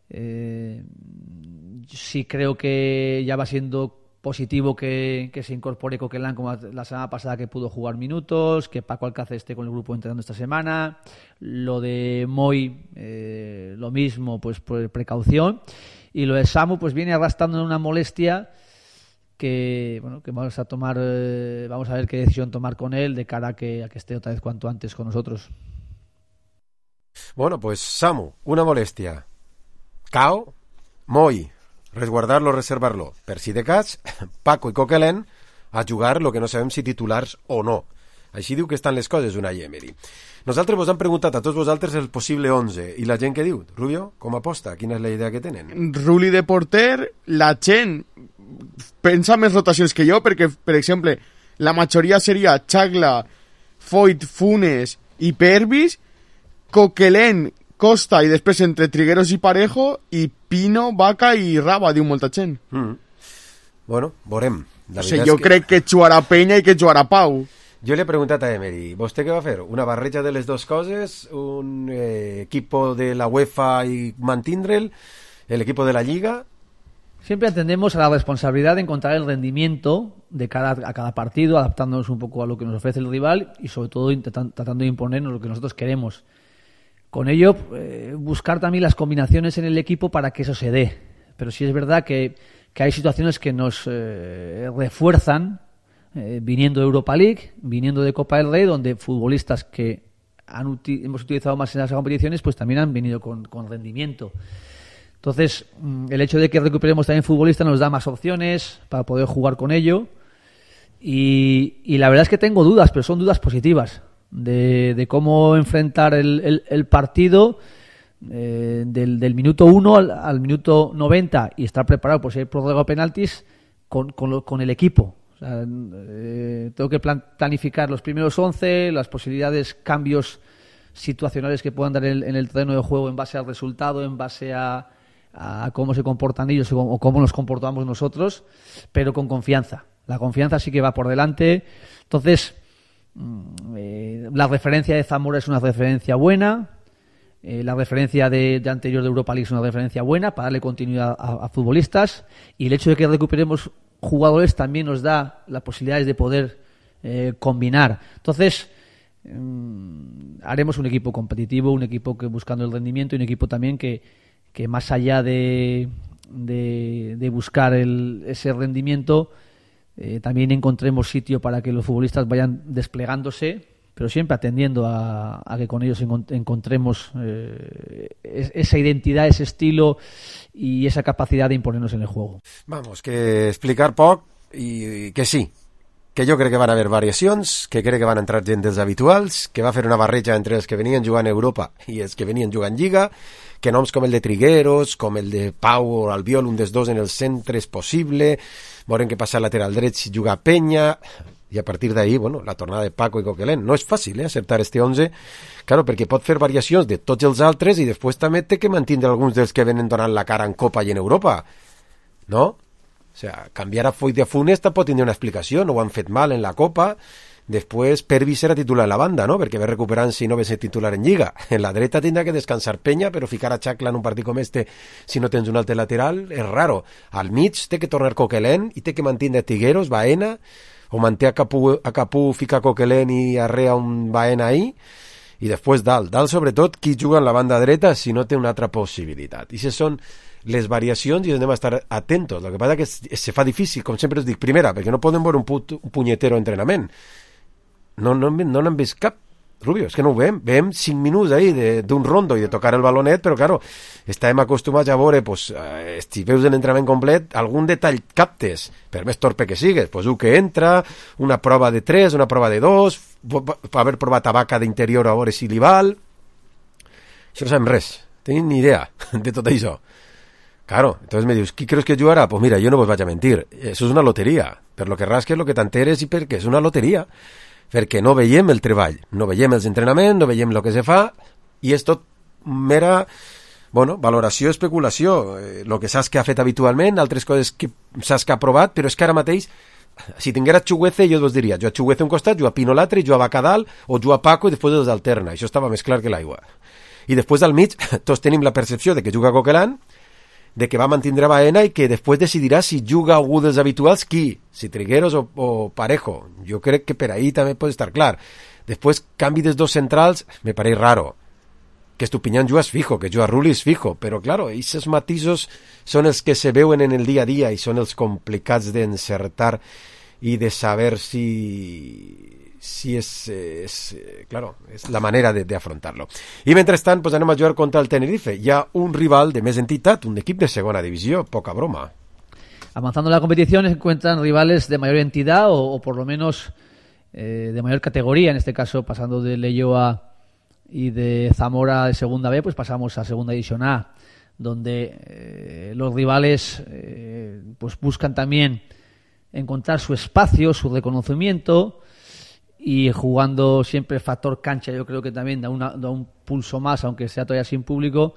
[SPEAKER 5] Eh, sí creo que ya va siendo positivo que, que se incorpore Coquelin como la semana pasada, que pudo jugar minutos, que Paco Alcácer esté con el grupo entrenando esta semana. Lo de Moi, eh, lo mismo, pues por precaución. Y lo de Samu, pues viene arrastrando una molestia que, bueno, que vamos a tomar, eh, vamos a ver qué decisión tomar con él de cara a que, a que esté otra vez cuanto antes con nosotros.
[SPEAKER 3] Bueno, pues Samu, una molestia. Cao, Moi, resguardarlo, reservarlo. Per si de cas, Paco i Coquelin a jugar lo que no sabem si titulars o no. Així diu que estan les coses una Emery. Nosaltres vos hem preguntat a tots vosaltres el possible onze i la gent que diu, Rubio, com aposta? Quina és la idea que tenen?
[SPEAKER 6] Ruli de porter, la gent pensa més rotacions que jo, perquè, per exemple, la majoria seria Chagla, Foyt, Funes i Pervis, Coquelin, Costa i després entre Trigueros i Parejo i Pino, Vaca i Raba, diu molta gent.
[SPEAKER 3] Mm. Bueno, veurem.
[SPEAKER 6] O sigui, jo que... crec que jugarà Peña i que jugarà Pau.
[SPEAKER 3] Jo li he preguntat a Emery, ¿vostè què va fer? Una barreja de les dues coses? Un eh, equipo de la UEFA y mantindre'l? ¿El equipo de la Liga?
[SPEAKER 5] Siempre atendemos a la responsabilidad de encontrar el rendimiento de cada, a cada partido, adaptándonos un poco a lo que nos ofrece el rival y sobre todo intentan, tratando de imponernos lo que nosotros queremos. Con ello, eh, buscar también las combinaciones en el equipo para que eso se dé. Pero sí es verdad que, que hay situaciones que nos eh, refuerzan, eh, viniendo de Europa League, viniendo de Copa del Rey, donde futbolistas que han uti- hemos utilizado más en las competiciones, pues también han venido con, con rendimiento. Entonces, el hecho de que recuperemos también futbolistas nos da más opciones para poder jugar con ello. Y, y la verdad es que tengo dudas, pero son dudas positivas. De, de cómo enfrentar el, el, el partido eh, del, del minuto uno al, al minuto noventa y estar preparado por si hay prórroga o penaltis con, con, lo, con el equipo. O sea, eh, tengo que plan, planificar los primeros once, las posibilidades, cambios situacionales que puedan dar en, en el terreno de juego en base al resultado, en base a, a cómo se comportan ellos o cómo nos comportamos nosotros, pero con confianza. La confianza sí que va por delante. Entonces, Eh, la referencia de Zamora es una referencia buena. Eh, la referencia de, de anterior de Europa League es una referencia buena para darle continuidad a, a futbolistas, y el hecho de que recuperemos jugadores también nos da las posibilidades de poder eh, combinar. Entonces mmm, haremos un equipo competitivo, un equipo que buscando el rendimiento, y un equipo también que, que más allá de, de, de buscar el, ese rendimiento, eh, también encontremos sitio para que los futbolistas vayan desplegándose, pero siempre atendiendo a, a que con ellos encontremos eh, esa identidad, ese estilo y esa capacidad de imponernos en el juego.
[SPEAKER 3] Vamos, que explicar poc i que sí, que jo crec que van haver variacions, que crec que van entrar gent dels habituals, que va fer una barreja entre els que venien jugant a Europa i els que venien jugant Lliga, que noms com el de Trigueros, com el de Pau o Albiol, un dels dos en el centre és possible, veurem què passa al lateral dret si juga Peña, i a partir d'ahí, bueno, la tornada de Paco i Coquelin. No és fàcil, eh, acertar este onze, claro, perquè pot fer variacions de tots els altres i després també té que mantindre alguns dels que venen donant la cara en Copa i en Europa, no? O sea, canviar a Foyt de Funes pot tindre una explicació, no ho han fet mal en la Copa, després Pervis serà titular en la banda, no? Perquè ve recuperant si no ve ser titular en Lliga. En la dreta tindrà que descansar Peña, però ficar a Chacla en un partit com este si no tens un altre lateral és raro. Al mig té que tornar Coquelin i té que mantindre Tigueros, Baena, o manté a Capú, a Capú fica Coquelin i arrea un Baena ahí, i després dalt, dalt sobretot qui juga en la banda dreta si no té una altra possibilitat. I si són les variacions i anem a estar atentos. El que passa és que se fa difícil, com sempre us dic, primera, perquè no podem veure un, put, un punyetero entrenament. No no no n'hem vist cap, Rubio, és que no ho veiem, veiem cinc minuts ahí d'un rondo i de tocar el balonet, però claro, estàvem acostumats a veure, pues, eh, si veus l'entrenament complet, algun detall captes, per més torpe que sigues, pues un que entra, una prova de tres, una prova de dos, per haver provat tabaca d'interior a veure si li val. Això no sabem res, tenim ni idea de tot això. Claro, entonces me dius, ¿qui creus que jugarà? Pues mira, yo no vos vaig a mentir, eso és una loteria, per lo que rasques, lo que t'enteres i perquè és una loteria. Perquè no veiem el treball, no veiem els entrenaments, no veiem el que se fa, i és tot mera, bueno, valoració, especulació, el eh, que saps que ha fet habitualment, altres coses que saps que ha provat, però és que ara mateix, si tinguera Chuguece, jo vos diria, jo a Chuguece un costat, jo a Pino l'altre, jo a Bacadal, o jo a Paco, i després els alterna, això estava més clar que l'aigua. I després al mig, tots tenim la percepció de que juga Coquelin, de que va mantindre Baena i que després decidirà si juga algú dels habituals qui, si Trigueros o, o Parejo. Jo crec que per ahí també pot estar clar. Després, canvi dels dos centrals, me pareix raro. Que Estupiñán jugas fijo, que juga Rulli és fijo, però claro, aquests matisos són els que se veuen en el dia a dia i són els complicats d'encertar i de saber si... si és, és, claro, és la manera de, de afrontarlo. I mentrestant, pues anem a jugar contra el Tenerife. Hi ha un rival de més entitat, un equip de segona divisió, poca broma.
[SPEAKER 5] Avanzando en la competición se encuentran rivales de mayor entidad o, o por lo menos eh, de mayor categoría, en este caso pasando de Leioa y de Zamora de segunda B, pues pasamos a segunda división A, donde eh, los rivales eh, pues buscan también encontrar su espacio, su reconocimiento, y jugando siempre factor cancha, yo creo que también da, una, da un pulso más, aunque sea todavía sin público.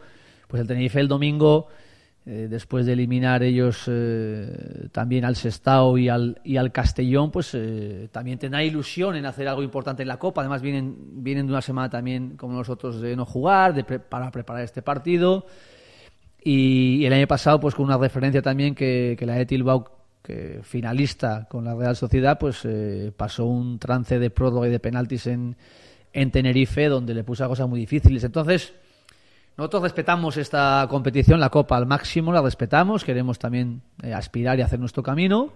[SPEAKER 5] Pues el Tenerife el domingo, eh, después de eliminar ellos eh, también al Sestao y al, y al Castellón, pues eh, también tendrá ilusión en hacer algo importante en la Copa. Además vienen, vienen de una semana también como nosotros de no jugar, de pre- para preparar este partido. Y, y el año pasado pues con una referencia también que, que la de Bilbao, que finalista con la Real Sociedad, pues eh, pasó un trance de prórroga y de penaltis en, en Tenerife, donde le puso cosas muy difíciles. Entonces, nosotros respetamos esta competición, la Copa al máximo, la respetamos, queremos también eh, aspirar y hacer nuestro camino,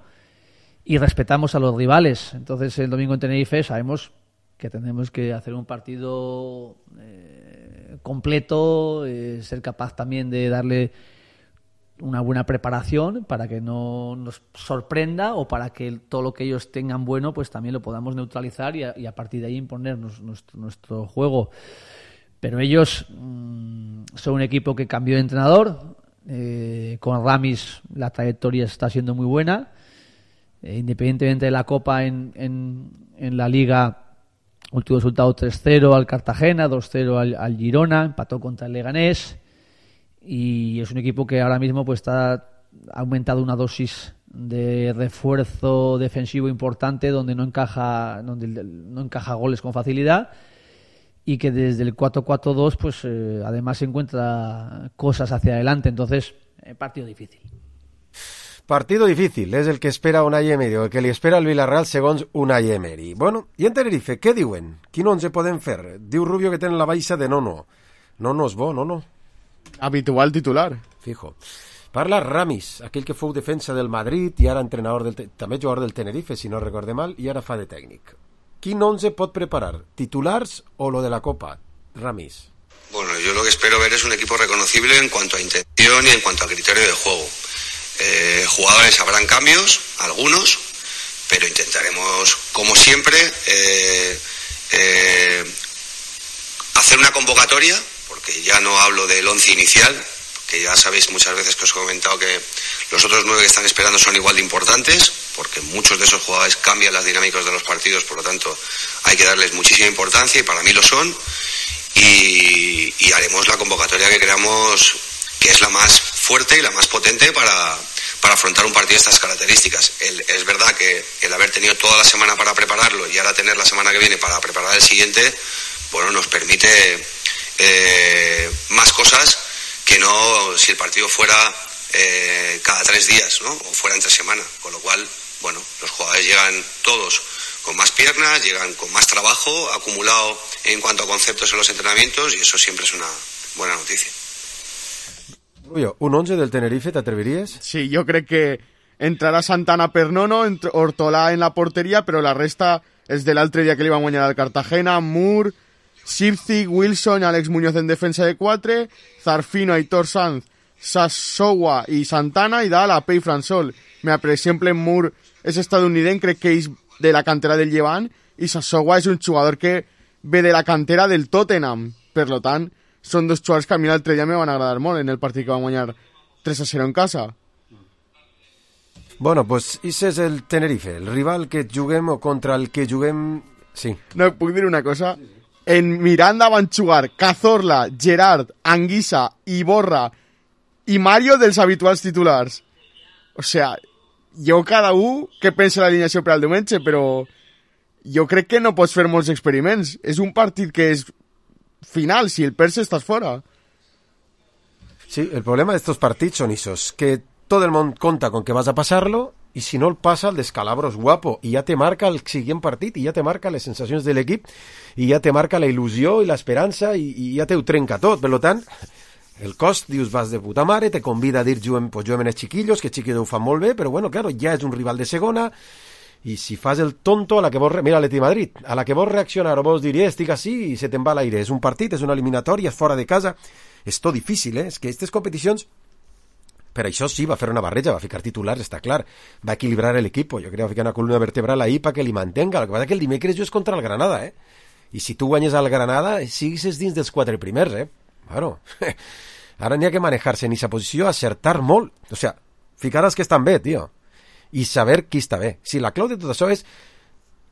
[SPEAKER 5] y respetamos a los rivales. Entonces, el domingo en Tenerife sabemos que tenemos que hacer un partido eh, completo, eh, ser capaz también de darle una buena preparación para que no nos sorprenda o para que todo lo que ellos tengan bueno pues también lo podamos neutralizar y a, y a partir de ahí imponernos nuestro, nuestro juego. Pero ellos mmm, son un equipo que cambió de entrenador, eh, con Ramis la trayectoria está siendo muy buena, eh, independientemente de la Copa en, en, en la Liga, último resultado tres cero al Cartagena, dos cero al, al Girona, empató contra el Leganés. Y es un equipo que ahora mismo pues está ha aumentado una dosis de refuerzo defensivo importante, donde no encaja donde no encaja goles con facilidad, y que desde el cuatro cuatro dos pues eh, además encuentra cosas hacia adelante. Entonces, eh, partido difícil.
[SPEAKER 3] Partido difícil, és el que espera Unai Emery, o el que li espera el Villarreal segons Unai Emery. Bueno, i en Tenerife, què diuen? Quin onze podem fer? Diu Rubio que tenen la baixa de Nono. Nono és bo, Nono.
[SPEAKER 6] Habitual titular.
[SPEAKER 3] Fijo. Parla Ramis, aquell que fou defensa del Madrid i ara entrenador del... també jugador del Tenerife, si no recorde mal, i ara fa de tècnic. Quin onze pot preparar? ¿Titulars o lo de la Copa? Ramis.
[SPEAKER 16] Bueno, yo lo que espero ver es un equipo reconocible en cuanto a intención y en cuanto a criterio de juego. Eh, jugadores habrán cambios, algunos, pero intentaremos, como siempre, eh, eh, hacer una convocatoria, porque ya no hablo del once inicial, que ya sabéis muchas veces que os he comentado que los otros nueve que están esperando son igual de importantes, porque muchos de esos jugadores cambian las dinámicas de los partidos, por lo tanto hay que darles muchísima importancia y para mí lo son, y, y haremos la convocatoria que creamos que es la más fuerte y la más potente para, para afrontar un partido de estas características. El, es verdad que el haber tenido toda la semana para prepararlo y ahora tener la semana que viene para preparar el siguiente, bueno, nos permite eh, más cosas que no si el partido fuera eh, cada tres días, ¿no? O fuera entre semana, con lo cual, bueno, los jugadores llegan todos con más piernas, llegan con más trabajo acumulado en cuanto a conceptos en los entrenamientos y eso siempre es una buena noticia.
[SPEAKER 3] Rubio, un once del Tenerife, ¿t'atreviries?
[SPEAKER 6] Sí, jo crec que entrarà Santana per Nono, Hortolà en la porteria, però la resta és de l'altre dia que li van guanyar al Cartagena, Moore, Sipcich, Wilson, Àlex Muñoz en defensa de quatre, Zarfino, Aitor Sanz, Sassoua i Santana, i dalt a Pei Fransol. Mira, per exemple, Moore és estadounidense, crec que és de la cantera del Llevant, i Sassoua és un jugador que ve de la cantera del Tottenham. Per lo tant, són dos jugadors que a mi l'altre dia me van agradar molt en el partit que van guanyar tres a cero en casa.
[SPEAKER 3] Bueno, pues ese és el Tenerife, el rival que juguem o contra el que juguem... Sí.
[SPEAKER 6] No, puc dir una cosa? En Miranda van jugar Cazorla, Gerard, Anguissa, Iborra i Mario dels habituals titulars. O sea, jo cada un que pensa l'alineació per al diumenge, però jo crec que no pots fer molts experiments. És un partit que és final, si el perds estàs fora.
[SPEAKER 3] Sí, el problema de estos partits son esos, que todo el mundo conta con que vas a pasarlo y si no el pasa, el descalabro es guapo y ya te marca el siguiente partit y ya te marca les sensacions de l'equip i ja te marca la il·lusió i l'esperança i, i ja te ho trenca tot. Per tant, el cost, dius, vas de puta mare, te convida a dir juguem, pues juguem en els chiquillos, que chiquillos ho fan molt bé, però bueno, claro, ja és un rival de segona i si fas el tonto a la que vols... Mira l'Atleti de Madrid, a la que vols reaccionar o vols dir, eh, estic així i se te'n va l'aire. És un partit, és una eliminatòria, és fora de casa. És tot difícil, eh? És que aquestes competicions... Per això sí, va fer una barreja, va ficar titulars, està clar. Va equilibrar l'equip. Jo crec que va ficar una columna vertebral ahí para que li mantenga. El que passa que el dimecres jo és contra el Granada, eh? I si tu guanyes al Granada, sigues dins dels quatre primers, eh? Claro. Ara n'hi ha que manejar-se en aquesta posició, acertar molt. O sea, ficar els que estan bé, tio. I saber qui està bé. Si la clau de tot això és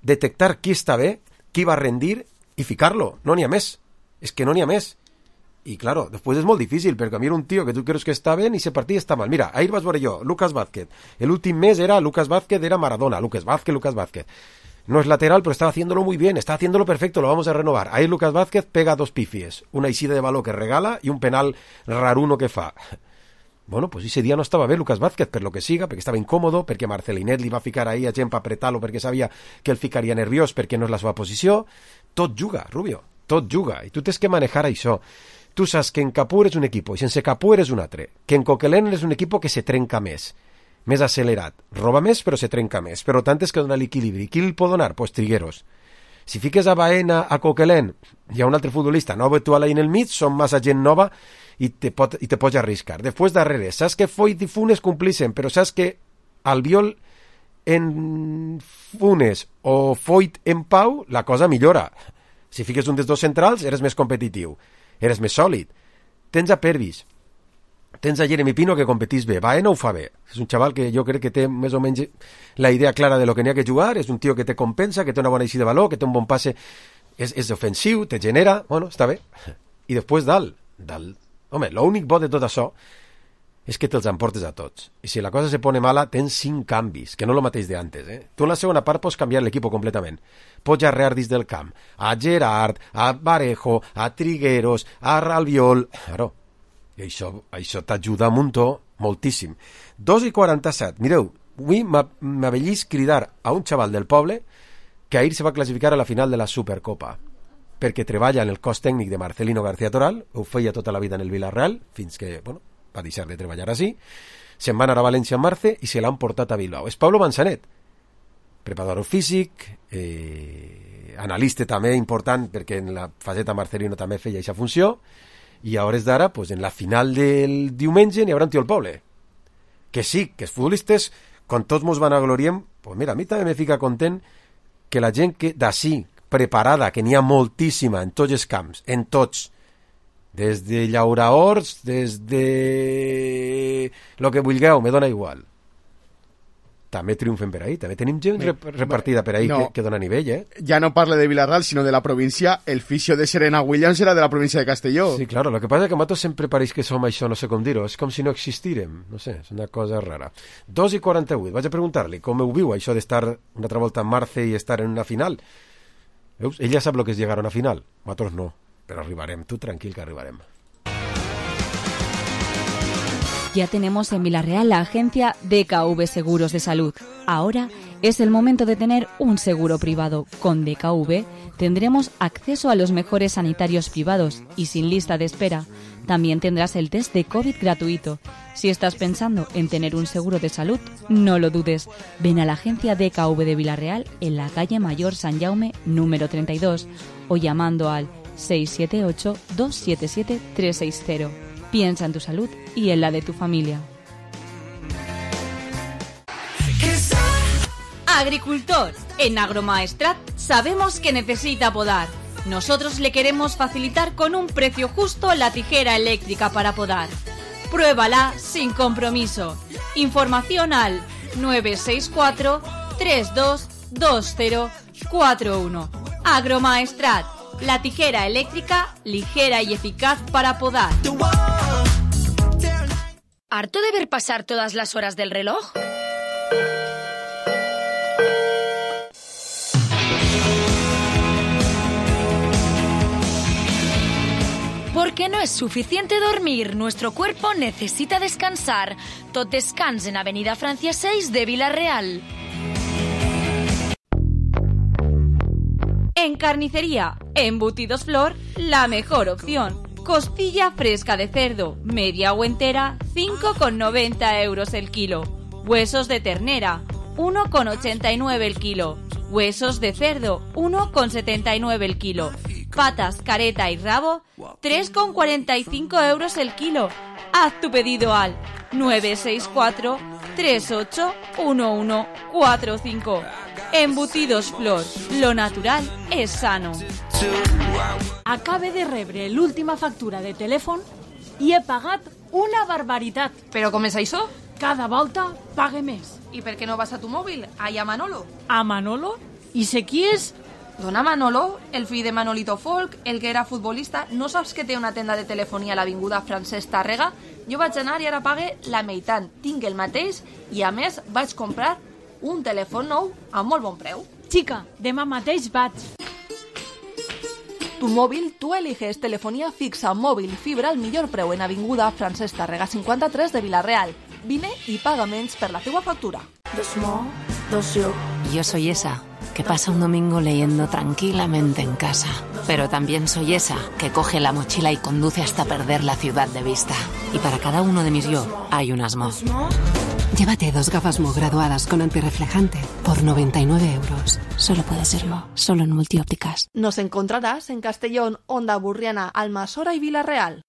[SPEAKER 3] detectar qui està bé, qui va rendir i ficar-lo. No n'hi ha més. És que no n'hi ha més. I, claro, després és molt difícil, perquè a mi era un tio que tu creus que està bé i ese partit està mal. Mira, ahir vas veure jo, Lucas Vázquez. El últim mes era Lucas Vázquez, era Maradona. Lucas Vázquez, Lucas Vázquez. No es lateral, pero estaba haciéndolo muy bien, está haciéndolo perfecto, lo vamos a renovar. Ahí Lucas Vázquez pega dos pifies, una eixida de baló que regala y un penal raruno que fa. Bueno, pues ese dia no estava bé Lucas Vázquez, per lo que siga, perquè estava incòmodo, perquè Marcelinet li va ficar ahí a gent per apretar-lo, perquè sabia que el ficaria nerviós, perquè no és la seva posició. Tot juga, Rubio, tot juga, i tu tens que manejar això. Tu saps que en Capur és un equip, i sense Capur és un altre, que en Coquelin és un equip que se trenca més, més accelerat, roba més però se trenca més, però tant és que dona l'equilibri. Qui el pot donar? Pues Trigueros. Si fiques a Baena, a Coquelin i a un altre futbolista no habitual ahí en el mig, són massa gent nova i te, pot, i te pots arriscar. Després darrere, saps que Foyt i Funes complixen, però saps que Albiol en Funes o Foyt en Pau, la cosa millora. Si fiques un dels dos centrals, eres més competitiu, eres més sòlid. Tens a Pervis, tens a Jeremy Pino que competís bé, Baena ho fa bé, és un xaval que jo crec que té més o menys la idea clara de lo que n'hi ha que jugar, és un tio que te compensa, que té una bona eixida de valor, que té un bon passe, és, és ofensiu, te genera, bueno, està bé. I després dalt, dalt, home, l'únic bo de tot això és que te'ls emportes a tots. I si la cosa se pone mala, tens cinc canvis, que no el mateix d'antes. Eh? Tu en la segona part pots canviar l'equip completament. Pots arrear dins del camp a Gerard, a Varejo, a Trigueros, a Albiol... Claro, i això, això t'ajuda un muntó, moltíssim. dos i quaranta-set. Mireu, avui m'avellis cridar a un xaval del poble que ahir se va classificar a la final de la Supercopa, perquè treballa en el cos tècnic de Marcelino García Toral, ho feia tota la vida en el Villarreal, fins que, bueno, va deixar de treballar així, se'n va anar a València en març i se l'han portat a Bilbao. És Pablo Manzanet, preparador físic, eh, analista també important, perquè en la faceta Marcelino també feia aquesta funció, i a hores d'ara, pues, en la final del diumenge n'hi haurà un tio al poble. Que sí, que els futbolistes, quan tots mos van a gloriem, pues mira, a mi també me fica content que la gent que d'ací, preparada, que n'hi ha moltíssima en tots els camps, en tots, des de llauraors, des de lo que vulgueu, me dona igual. També triomfen per ahí, també tenim gent rep repartida per ahí no, que, que dona nivell, eh?
[SPEAKER 6] Ja no parle de Villarreal, sinó de la província. El fisio de Serena Williams era de la província de Castelló.
[SPEAKER 3] Sí, claro, lo que pasa es que a nosaltres sempre pareix que som això, no sé com dir-ho, és com si no existírem, no sé, és una cosa rara. dos i quaranta-vuit, vaig a preguntar-li com ho viu això d'estar una altra volta en Marce i estar en una final. Veus? Ella sap el que és llegar a una final, nosaltres no. Pero arribarem, tú tranquil que arribarem.
[SPEAKER 17] Ya tenemos en Villarreal la agencia D K V Seguros de Salud. Ahora es el momento de tener un seguro privado. Con D K V tendremos acceso a los mejores sanitarios privados y sin lista de espera. También tendrás el test de COVID gratuito. Si estás pensando en tener un seguro de salud, no lo dudes. Ven a la agencia D K V de Villarreal en la calle Mayor San Jaume número treinta y dos o llamando al seis siete ocho, dos siete siete, tres seis cero. Piensa en tu salud y en la de tu familia.
[SPEAKER 18] Agricultor, en Agromaestrat sabemos que necesita podar. Nosotros le queremos facilitar con un precio justo la tijera eléctrica para podar. Pruébala sin compromiso. Información al nueve seis cuatro, tres dos dos cero cuatro uno. Agromaestrat. La tijera eléctrica, ligera y eficaz para podar.
[SPEAKER 7] ¿Harto de ver pasar todas las horas del reloj? Porque no es suficiente dormir, nuestro cuerpo necesita descansar. Tot descans en Avenida Francia seis de Villarreal.
[SPEAKER 18] En carnicería, Embutidos Flor, la mejor opción. Costilla fresca de cerdo, media o entera, cinco con noventa euros el kilo. Huesos de ternera, uno con ochenta y nueve el kilo. Huesos de cerdo, uno con setenta y nueve el kilo. Patas, careta y rabo, tres con cuarenta y cinco euros el kilo. Haz tu pedido al nueve seis cuatro, tres ocho uno uno cuatro cinco. Embutidos Flor, lo natural és sano.
[SPEAKER 19] Acabe de rebre l'última factura de telèfon i he pagat una barbaritat.
[SPEAKER 10] Però com és això?
[SPEAKER 19] Cada volta pague més.
[SPEAKER 10] I per què no vas a tu mòbil? Allà a Manolo.
[SPEAKER 19] A Manolo? I sé qui és?
[SPEAKER 10] Dona Manolo, el fill de Manolito Folk, el que era futbolista. No saps que té una tenda de telefonia a l'avinguda Francesc Tàrrega? Jo vaig anar i ara pague la meitat. Tinc el mateix i a més vaig comprar un telèfon nou a molt bon preu.
[SPEAKER 19] Chica, demà mateix vaig.
[SPEAKER 10] Tu mòbil, tu eliges telefonía fixa, móvil y fibra al millor preu en avinguda Francesc Tàrrega cinquanta-tres de Villarreal. Vine y paga menys per la teua factura.
[SPEAKER 20] Yo soy esa que pasa un domingo leyendo tranquilamente en casa. Pero también soy esa que coge la mochila y conduce hasta perder la ciudad de vista. Y para cada uno de mis yo hay un Asmo.
[SPEAKER 21] Llévate dos gafas Mo graduadas con antirreflejante por noventa y nueve euros. Solo puede ser Mo, solo en Multiópticas.
[SPEAKER 10] Nos encontrarás en Castellón, Onda Burriana, Almassora y Villarreal.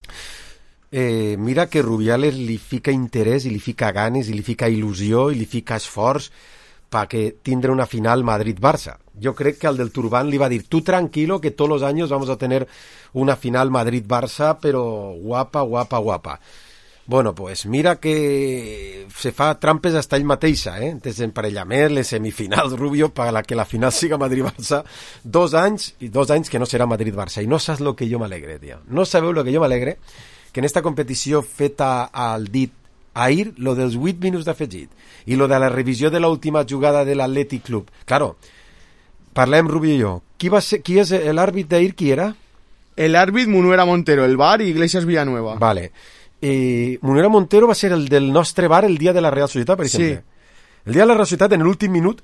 [SPEAKER 3] Eh, mira que Rubiales li fica interès i li fica ganes i li fica il·lusió i li fica esforç perquè tindre una final Madrid-Barça. Yo creo que al del Turbán le iba a decir, tú tranquilo que todos los años vamos a tener una final Madrid-Barça, pero guapa, guapa, guapa. Bueno, pues mira que se fa trampes hasta ell mateixa, eh? Des d'emparellament, les semifinals, Rubio, per la que la final siga Madrid-Barça, dos anys, i dos anys que no serà Madrid-Barça. I no saps lo que jo m'alegre, tio. No sabeu lo que jo m'alegre, que en esta competició feta al dit Ahir, lo dels vuit minuts d'afegit i lo de la revisió de l'última jugada de l'Atlètic Club. Claro, parlem, Rubio i jo. Qui, va ser, qui és l'àrbit d'ahir? Qui era?
[SPEAKER 6] El árbitro Munuera Montero, el V A R y Iglesias Villanueva.
[SPEAKER 3] Vale. Eh, Munuera Montero va ser el del nostre V A R el dia de la Real Societat, per exemple. Sí. El dia de la Real Societat, en l'últim minut,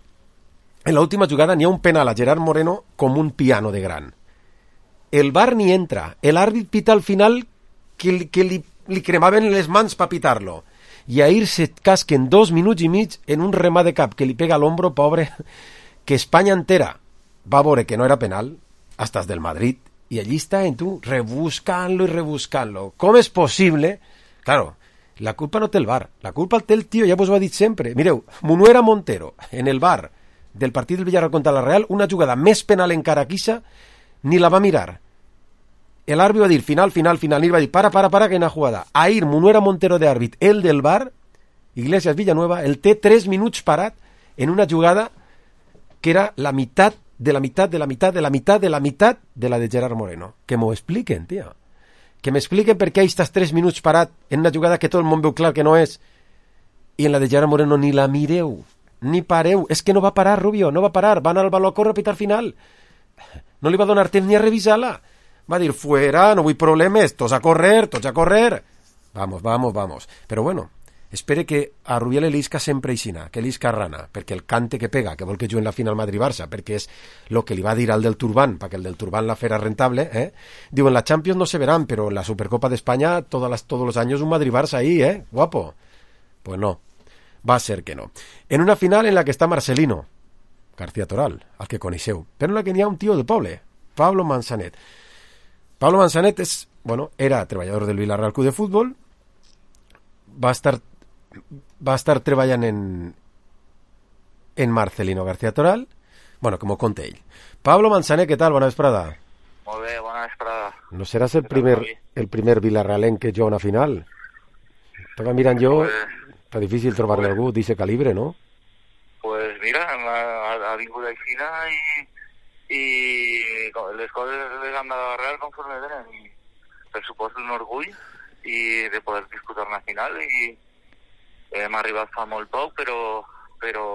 [SPEAKER 3] en l'última jugada, n'hi ha un penal a Gerard Moreno com un piano de gran. El V A R ni entra. L'àrbit pita al final que, que li, li cremaven les mans per pitar-lo. I ahir se casquen dos minuts i mig en un remat de cap que li pega a l'ombro, pobre, que Espanya entera va veure que no era penal, hasta del Madrid, i allí està en tu, rebuscant-lo i rebuscant-lo. Com és possible? Claro, la culpa no té el V A R, la culpa el té el tio, ja vos ho ha dit sempre. Mireu, Munuera Montero, en el V A R del partit del Villarreal contra la Real, una jugada més penal encara que ixa, ni la va mirar. L'àrbit va dir, final, final, final, i va dir, para, para, para, que una jugada. Ahir, Munuera Montero de àrbit, el del V A R, Iglesias Villanueva, el té tres minuts parat en una jugada que era la meitat de la meitat, de la meitat, de la meitat, de la meitat de la de Gerard Moreno. Que m'ho expliquen, tio. Que m'expliquen per què estàs tres minuts parat en una jugada que tot el món veu clar que no és, i en la de Gerard Moreno ni la mireu, ni pareu. És que no va parar, Rubio, no va parar. Va anar al baló a córrer a pitar final. No li va donar temps ni a revisar-la. Va dir, fuera, no vull problemes, tots a correr, tots a correr. Vamos, vamos, vamos. Però bueno, espere que a Rubiales l'isca sempre aixina, que l'isca rana, perquè el cante que pega, que vol que juguen la final Madrid-Barça, perquè és el que li va dir al del Turban, perquè el del Turban la fera rentable, eh? Diu, en la Champions no se verán, pero en la Supercopa de España todas las, todos los años un Madrid-Barça ahí, ¿eh? Guapo. Pues no, va a ser que no. En una final en la que està Marcelino García Toral, al que coneixeu, però en la que n'hi ha un tio del poble, Pablo Manzanet. Pablo Manzanet és, bueno, era treballador del Villarreal Club de Futbol, va estar va estar treballant en en Marcelino García Toral, bueno, com ho conta ell. Pablo Manzanet, què tal? Bona vesprada.
[SPEAKER 1] Molt bé, bona vesprada.
[SPEAKER 3] No seràs el primer, el primer villarrealenc que juga una final? Estava mirant jo, pues, està difícil trobar-ne pues, algú d'aquest calibre, no?
[SPEAKER 1] Pues mira, ha, ha vingut aixina i, i les coses les han de real conforme venen, i per supost un orgull i de poder disputar una final, i hem arribat fa molt poc, però, però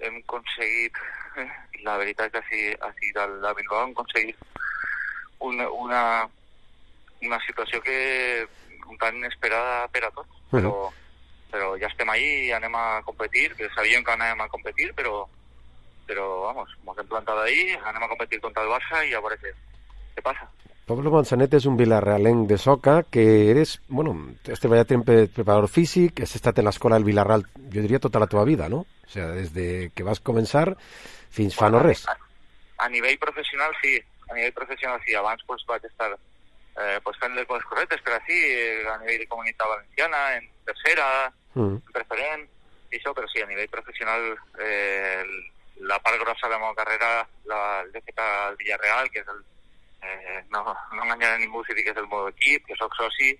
[SPEAKER 1] hem aconseguit, la veritat que així, així del de Bilbao hem aconseguit una, una, una situació que un tant inesperada per a tots, però, però ja estem ahí i anem a competir, que sabíem que anem a competir, però, però vamos, ens hem plantat ahí, anem a competir contra el Barça i a veure què, què passa.
[SPEAKER 3] Pablo Manzanet és un villarrealenc de soca que eres, bueno, has treballat en preparador físic, has estat en l'escola del Villarreal, jo diria tota la teva vida, no? O sigui, des de que vas començar fins fa no res.
[SPEAKER 1] A, a nivell professional sí, a nivell professional sí, abans pues, vaig estar eh, pues, fent les coses correctes, però sí, a nivell de comunitat valenciana, en tercera, mm. en preferent, i això, però sí, a nivell professional eh, la part grossa de la meva carrera l'he fet al Villarreal, que és el Eh, no, no enganyaré ningú si dic que és el meu equip, que sóc soci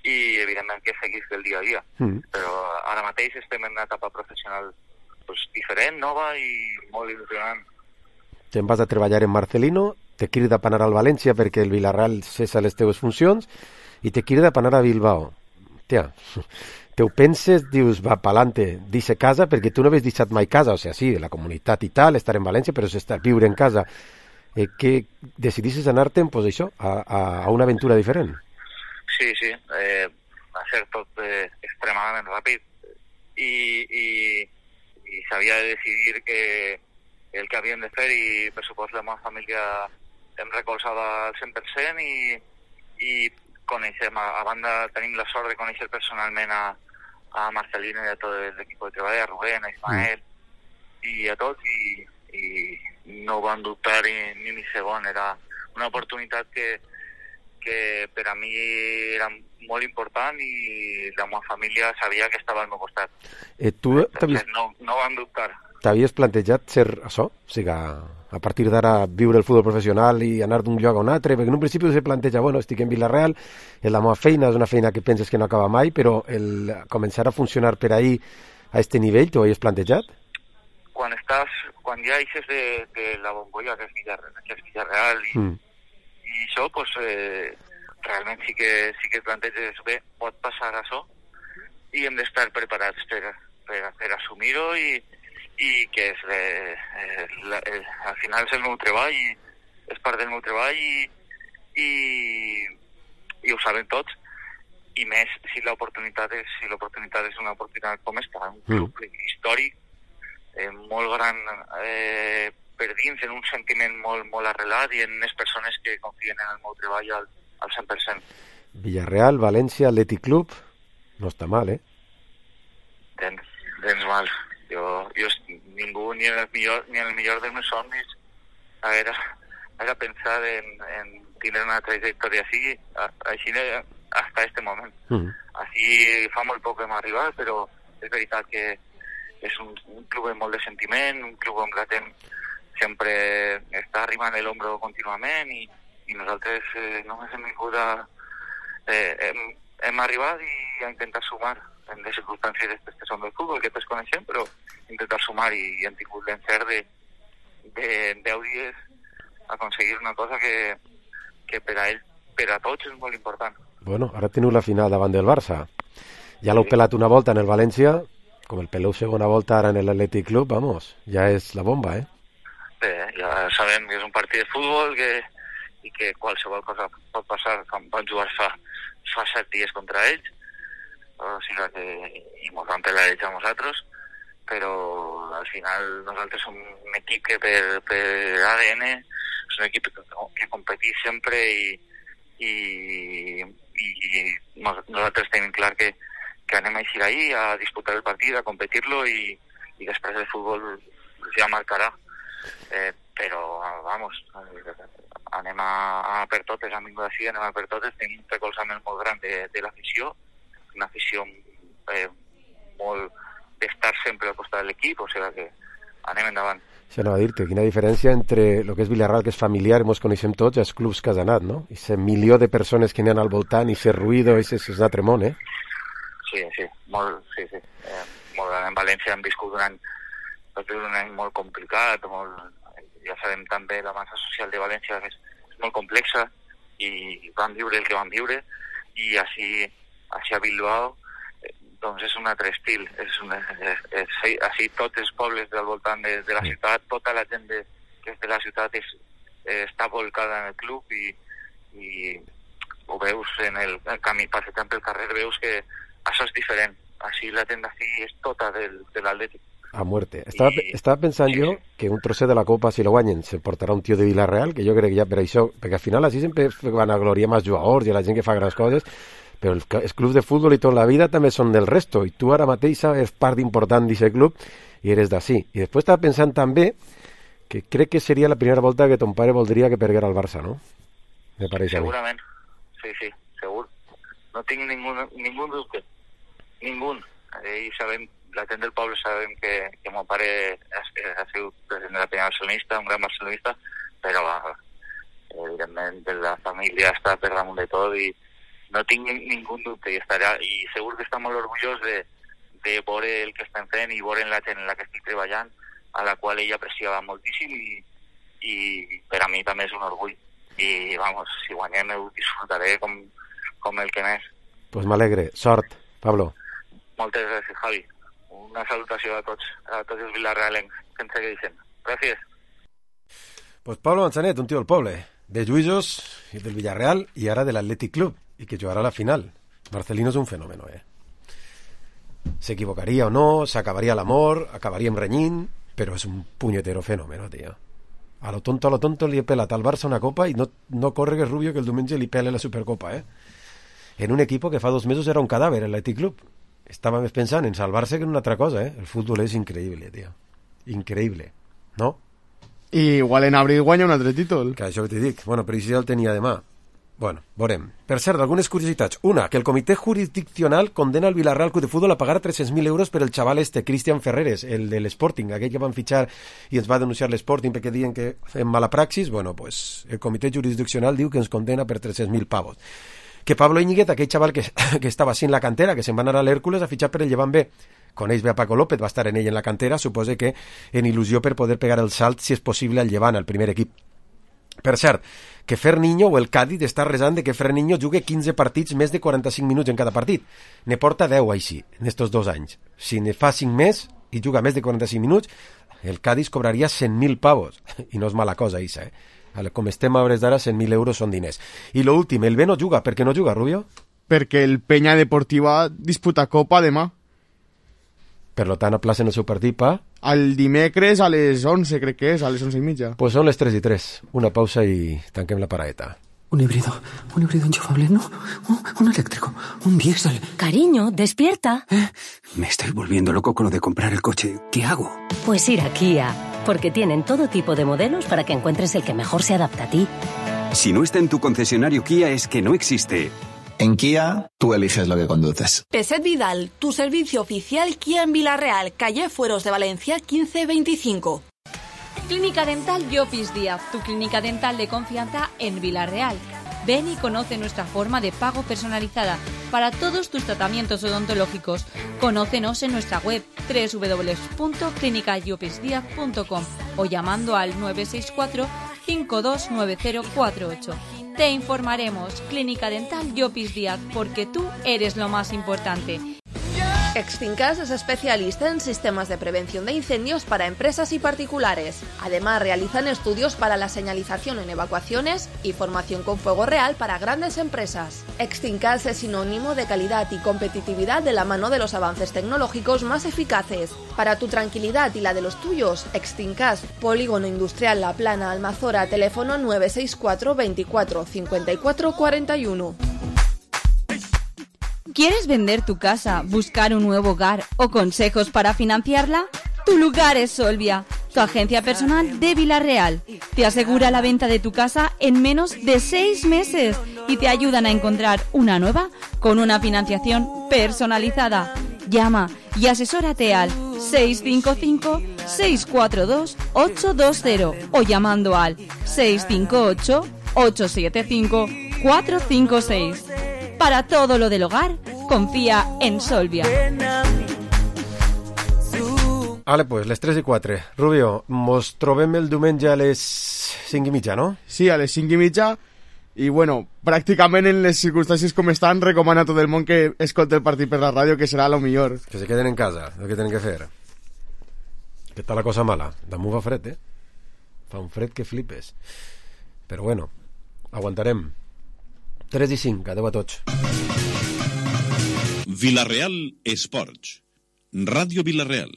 [SPEAKER 1] i evidentment que seguís del dia a dia, mm. però ara mateix estem en una etapa professional pues, diferent, nova i molt il·lusionant.
[SPEAKER 3] Te'n vas a treballar en Marcelino, te crida per anar al València perquè el Villarreal cessa les teves funcions i te crida per anar a Bilbao. Tia, te ho penses, dius, va, pa'lante, dice casa, perquè tu no havies deixat mai casa, o sigui, sí, la comunitat i tal, estar en València, però és estar, viure en casa. Eh, que decidissis anar-te'n, pues això, a, a, a una aventura diferent.
[SPEAKER 1] Sí, sí, eh, va ser tot eh, extremadament ràpid i, i, i s'havia de decidir que el que havíem de fer i per supost la meva família em recolzava al cent per cent i, i coneixem, a, a banda tenim la sort de conèixer personalment a, a Marcelino i a tot l'equip de treball, a Rubén, a Ismael mm. i a tots i, i no van dubtar ni, ni ni segon, era una oportunitat que, que per a mi era molt important i la meva família sabia que estava al meu costat.
[SPEAKER 3] Eh, tu
[SPEAKER 1] no, no van dubtar.
[SPEAKER 3] T'havies plantejat ser això? O sigui, a partir d'ara viure el futbol professional i anar d'un lloc a un altre, perquè en un principi se planteja, bueno, estic en Villarreal, és la meva feina, és una feina que penses que no acaba mai, però el començar a funcionar per ahí a este nivell, t'ho havies plantejat?
[SPEAKER 1] Quan estàs, quan ja eixes de, de la bombolla que és Villarreal, que és Villarreal i, mm. i això, pues, eh, realment sí que, sí que planteges bé, pot passar això, i hem d'estar preparats per, per, per assumir-ho i, i que és, eh, eh, la, eh, al final és el meu treball i és part del meu treball i, i, i ho saben tots, i més si l'oportunitat és, si l'oportunitat és una oportunitat com esta, un club mm. històric, eh, molt gran eh, per dins, en un sentiment molt, molt arrelat i en unes persones que confien en el meu treball al, al cent per cent.
[SPEAKER 3] Villarreal, València, Athletic Club, no està mal, eh?
[SPEAKER 1] Tens, tens mal. Jo, jo ningú, ni en el millor, ni en el millor dels meus somnis haguera, haguera pensat en, en tenir una trajectòria així, així hasta este moment. Mm. Així fa molt poc que hem arribat, però és veritat que és un, un club amb molt de sentiment, un club on la gent sempre està arribant l'ombro contínuament i, i nosaltres eh, només hem vingut a... Eh, hem, hem arribat i a intentar sumar en les circumstàncies aquestes que són del futbol, que tots coneixem, però intentar sumar i, i hem tingut l'encert de, de deu dies aconseguir una cosa que, que per a ell, per a tots és molt important.
[SPEAKER 3] Bueno, ara teniu la final davant del Barça. Ja l'heu sí. pelat una volta en el València, com el peleu segona volta ara en l'Athletic Club, vamos, ja és la bomba, eh?
[SPEAKER 1] Bé, ja sabem que és un partit de futbol que, i que qualsevol cosa pot passar, com van jugar fa, fa set dies contra ells, o sigui que, i ens van pelar ells a nosaltres, però al final nosaltres som un equip que per, per A D N és un equip que, que competís sempre i, i, i, i nosaltres tenim clar que, que anem a eixir ahí a disputar el partit, a competir-lo i, i després el futbol ja marcarà. Eh, però, vamos, anem a, a per totes, hem vingut així, anem a per totes, tenim un recolzament molt gran de, de l'afició, una afició eh, molt d'estar sempre al costat de l'equip, o sigui que anem endavant.
[SPEAKER 3] Això anava a dir-te, quina diferència entre el que és Villarreal, que és familiar, ens coneixem tots, i els clubs que has anat, no? I ese milió de persones que n'hi ha al voltant, i ese ruïdo, ese és un altre món, eh?
[SPEAKER 1] Sí, sí, molt, sí, sí. Eh, molt, en València hem viscut un any un any molt complicat, molt, ja sabem també la massa social de València és, és molt complexa i van viure el que van viure i així, així a Bilbao eh, doncs és un altre estil, és una, és, és, així tots els pobles del voltant de, de la ciutat, tota la gent de, que és de la ciutat és, eh, està volcada en el club i, i ho veus en el, el camí, passejant pel carrer, veus que això és diferent, així la gent d'ací és tota del, de l'Atlètic.
[SPEAKER 3] A muerte. Estava, I... estava pensant sí. jo que un trosset de la Copa, si lo guanyen, se portarà un tio de Villarreal, que jo crec que ja per això, perquè al final així sempre van a gloriar més jugadors i a la gent que fa grans coses, però els, els clubs de futbol i tota la vida també són del resto, i tu ara mateix és part important d'aquest club i eres d'ací. I després estava pensant també que crec que seria la primera volta que ton pare voldria que perguera el Barça, no? Me pareix a mi.
[SPEAKER 1] Segurament, sí, sí, segur. No tinc ningú, ningú dubte. Ningú. I sabem, la gent del poble sabem que, que mon pare ha, ha sigut president de la Peña barcelonista, un gran barcelonista, però evidentment la família està per damunt de tot i no tinc ningú dubte i, estarà, i segur que està molt orgullós de, de veure el que estem fent i veure la gent en la que estic treballant, a la qual ell apreciava moltíssim i, i per a mi també és un orgull. I, vamos, si guanyem ho disfrutaré com, com el que més.
[SPEAKER 3] Pues m'alegre. Sort, Pablo.
[SPEAKER 1] Moltes gràcies, Javi. Una salutació a tots, a tots els villarrealencs que ens segueixen. Gràcies.
[SPEAKER 3] Pues Pablo Manzanet, un tio del poble, de Lluïsos i del Villarreal i ara de l'Athletic Club, i que jugarà a la final. Marcelino és un fenòmeno, eh? S'equivocaria o no, s'acabaria l'amor, acabaríem renyint, però és un punyetero fenòmeno, tio. A lo tonto, a lo tonto li he pelat al Barça una copa i no, no corre que Rubio que el diumenge li pele la Supercopa, eh? En un equip que fa dos mesos era un cadàver, l'Athletic Club. Estava més pensant en salvar-se que en una altra cosa, eh? El futbol és increïble, tio. Increïble, no?
[SPEAKER 6] I igual en abril guanya un altre títol.
[SPEAKER 3] Que això que t'hi dic. Bueno, però si ja el tenia demà. Bueno, veurem. Per cert, algunes curiositats. Una, que el comitè jurisdiccional condena el Villarreal Club de Futbol a pagar tres-cents mil euros per el xaval este, Cristian Ferreres, el de l'Sporting, aquell que van fitxar i ens va denunciar l'Sporting perquè diuen que fem mala praxis. Bueno, pues el comitè jurisdiccional diu que ens condena per tres-cents mil pavos. Que Pablo Íñiguez, aquell xaval que, que estava així en la cantera, que se'n va anar a l'Hèrcules a fitxar per el Llevant B, coneix bé a Paco López, va estar en ell en la cantera, suposa que en il·lusió per poder pegar el salt, si és possible, al Llevant, al primer equip. Per cert, que Ferniño o el Cádiz està resant de que Ferniño jugui quinze partits més de quaranta-cinc minuts en cada partit. Ne porta deu així, en estos dos anys. Si ne fa cinc més i juga més de quaranta-cinc minuts, el Cádiz cobraria cent mil pavos. I no és mala cosa, Isa, eh? Com estem a hores d'ara, cent mil euros són diners. I lo últim, el B no juga. Per què no juga, Rubio?
[SPEAKER 6] Perquè el Peña Deportiva disputa Copa demà.
[SPEAKER 3] Per lo tant, aplacen el seu partit pa...
[SPEAKER 6] Al dimecres a les onze, crec que és, a les onze i mitja.
[SPEAKER 3] Pues són les tres i tres. Una pausa i tanquem la paraeta.
[SPEAKER 21] Un híbrido, un híbrido enchufable, no, un, un eléctrico, un diésel.
[SPEAKER 4] Cariño, despierta.
[SPEAKER 21] ¿Eh? Me estoy volviendo loco con lo de comprar el coche. ¿Qué hago?
[SPEAKER 4] Pues ir a Kia, porque tienen todo tipo de modelos para que encuentres el que mejor se adapta a ti.
[SPEAKER 22] Si no está en tu concesionario Kia es que no existe.
[SPEAKER 23] En Kia, tú eliges lo que conduces.
[SPEAKER 10] Peset Vidal, tu servicio oficial Kia en Villarreal, calle Fueros de Valencia quince veinticinco.
[SPEAKER 18] Clínica Dental Llopis Díaz, tu clínica dental de confianza en Villarreal. Ven y conoce nuestra forma de pago personalizada para todos tus tratamientos odontológicos. Conócenos en nuestra web doble u doble u doble u punto clínica llopis díaz punto com o llamando al nueve seis cuatro, cinco dos nueve cero cuatro ocho. Te informaremos. Clínica Dental Llopis Díaz, porque tú eres lo más importante.
[SPEAKER 10] Extincas es especialista en sistemas de prevención de incendios para empresas y particulares. Además, realizan estudios para la señalización en evacuaciones y formación con fuego real para grandes empresas. Extincas es sinónimo de calidad y competitividad de la mano de los avances tecnológicos más eficaces. Para tu tranquilidad y la de los tuyos, Extincas, Polígono Industrial La Plana, Almazora, teléfono nueve seis cuatro, veinticuatro, cincuenta y cuatro, cuarenta y uno.
[SPEAKER 18] ¿Quieres vender tu casa, buscar un nuevo hogar o consejos para financiarla? Tu lugar es Solvia, tu agencia personal de Villarreal. Te asegura la venta de tu casa en menos de seis meses y te ayudan a encontrar una nueva con una financiación personalizada. Llama y asesórate al seis cinco cinco, seis cuatro dos, ocho dos cero o llamando al seis cinco ocho, ocho siete cinco, cuatro cinco seis. Para todo lo del hogar, confía en Solvia.
[SPEAKER 3] Vale, pues, les tres i quatre. Rubio, mos trobem el diumenge a les cinc i mitja, no?
[SPEAKER 6] Sí, a les cinc i mitja. I, bueno, pràcticament en les circumstàncies com estan, recomana a tot el món que escolti el partit per la ràdio, que serà lo millor.
[SPEAKER 3] Que se queden en casa, el que tenen que fer. Que està la cosa mala. Damunt fa fred, eh? Fa un fred que flipes. Però, bueno, aguantarem. tres i cinc, adeu a tots.
[SPEAKER 24] Villarreal Esports. Ràdio Villarreal.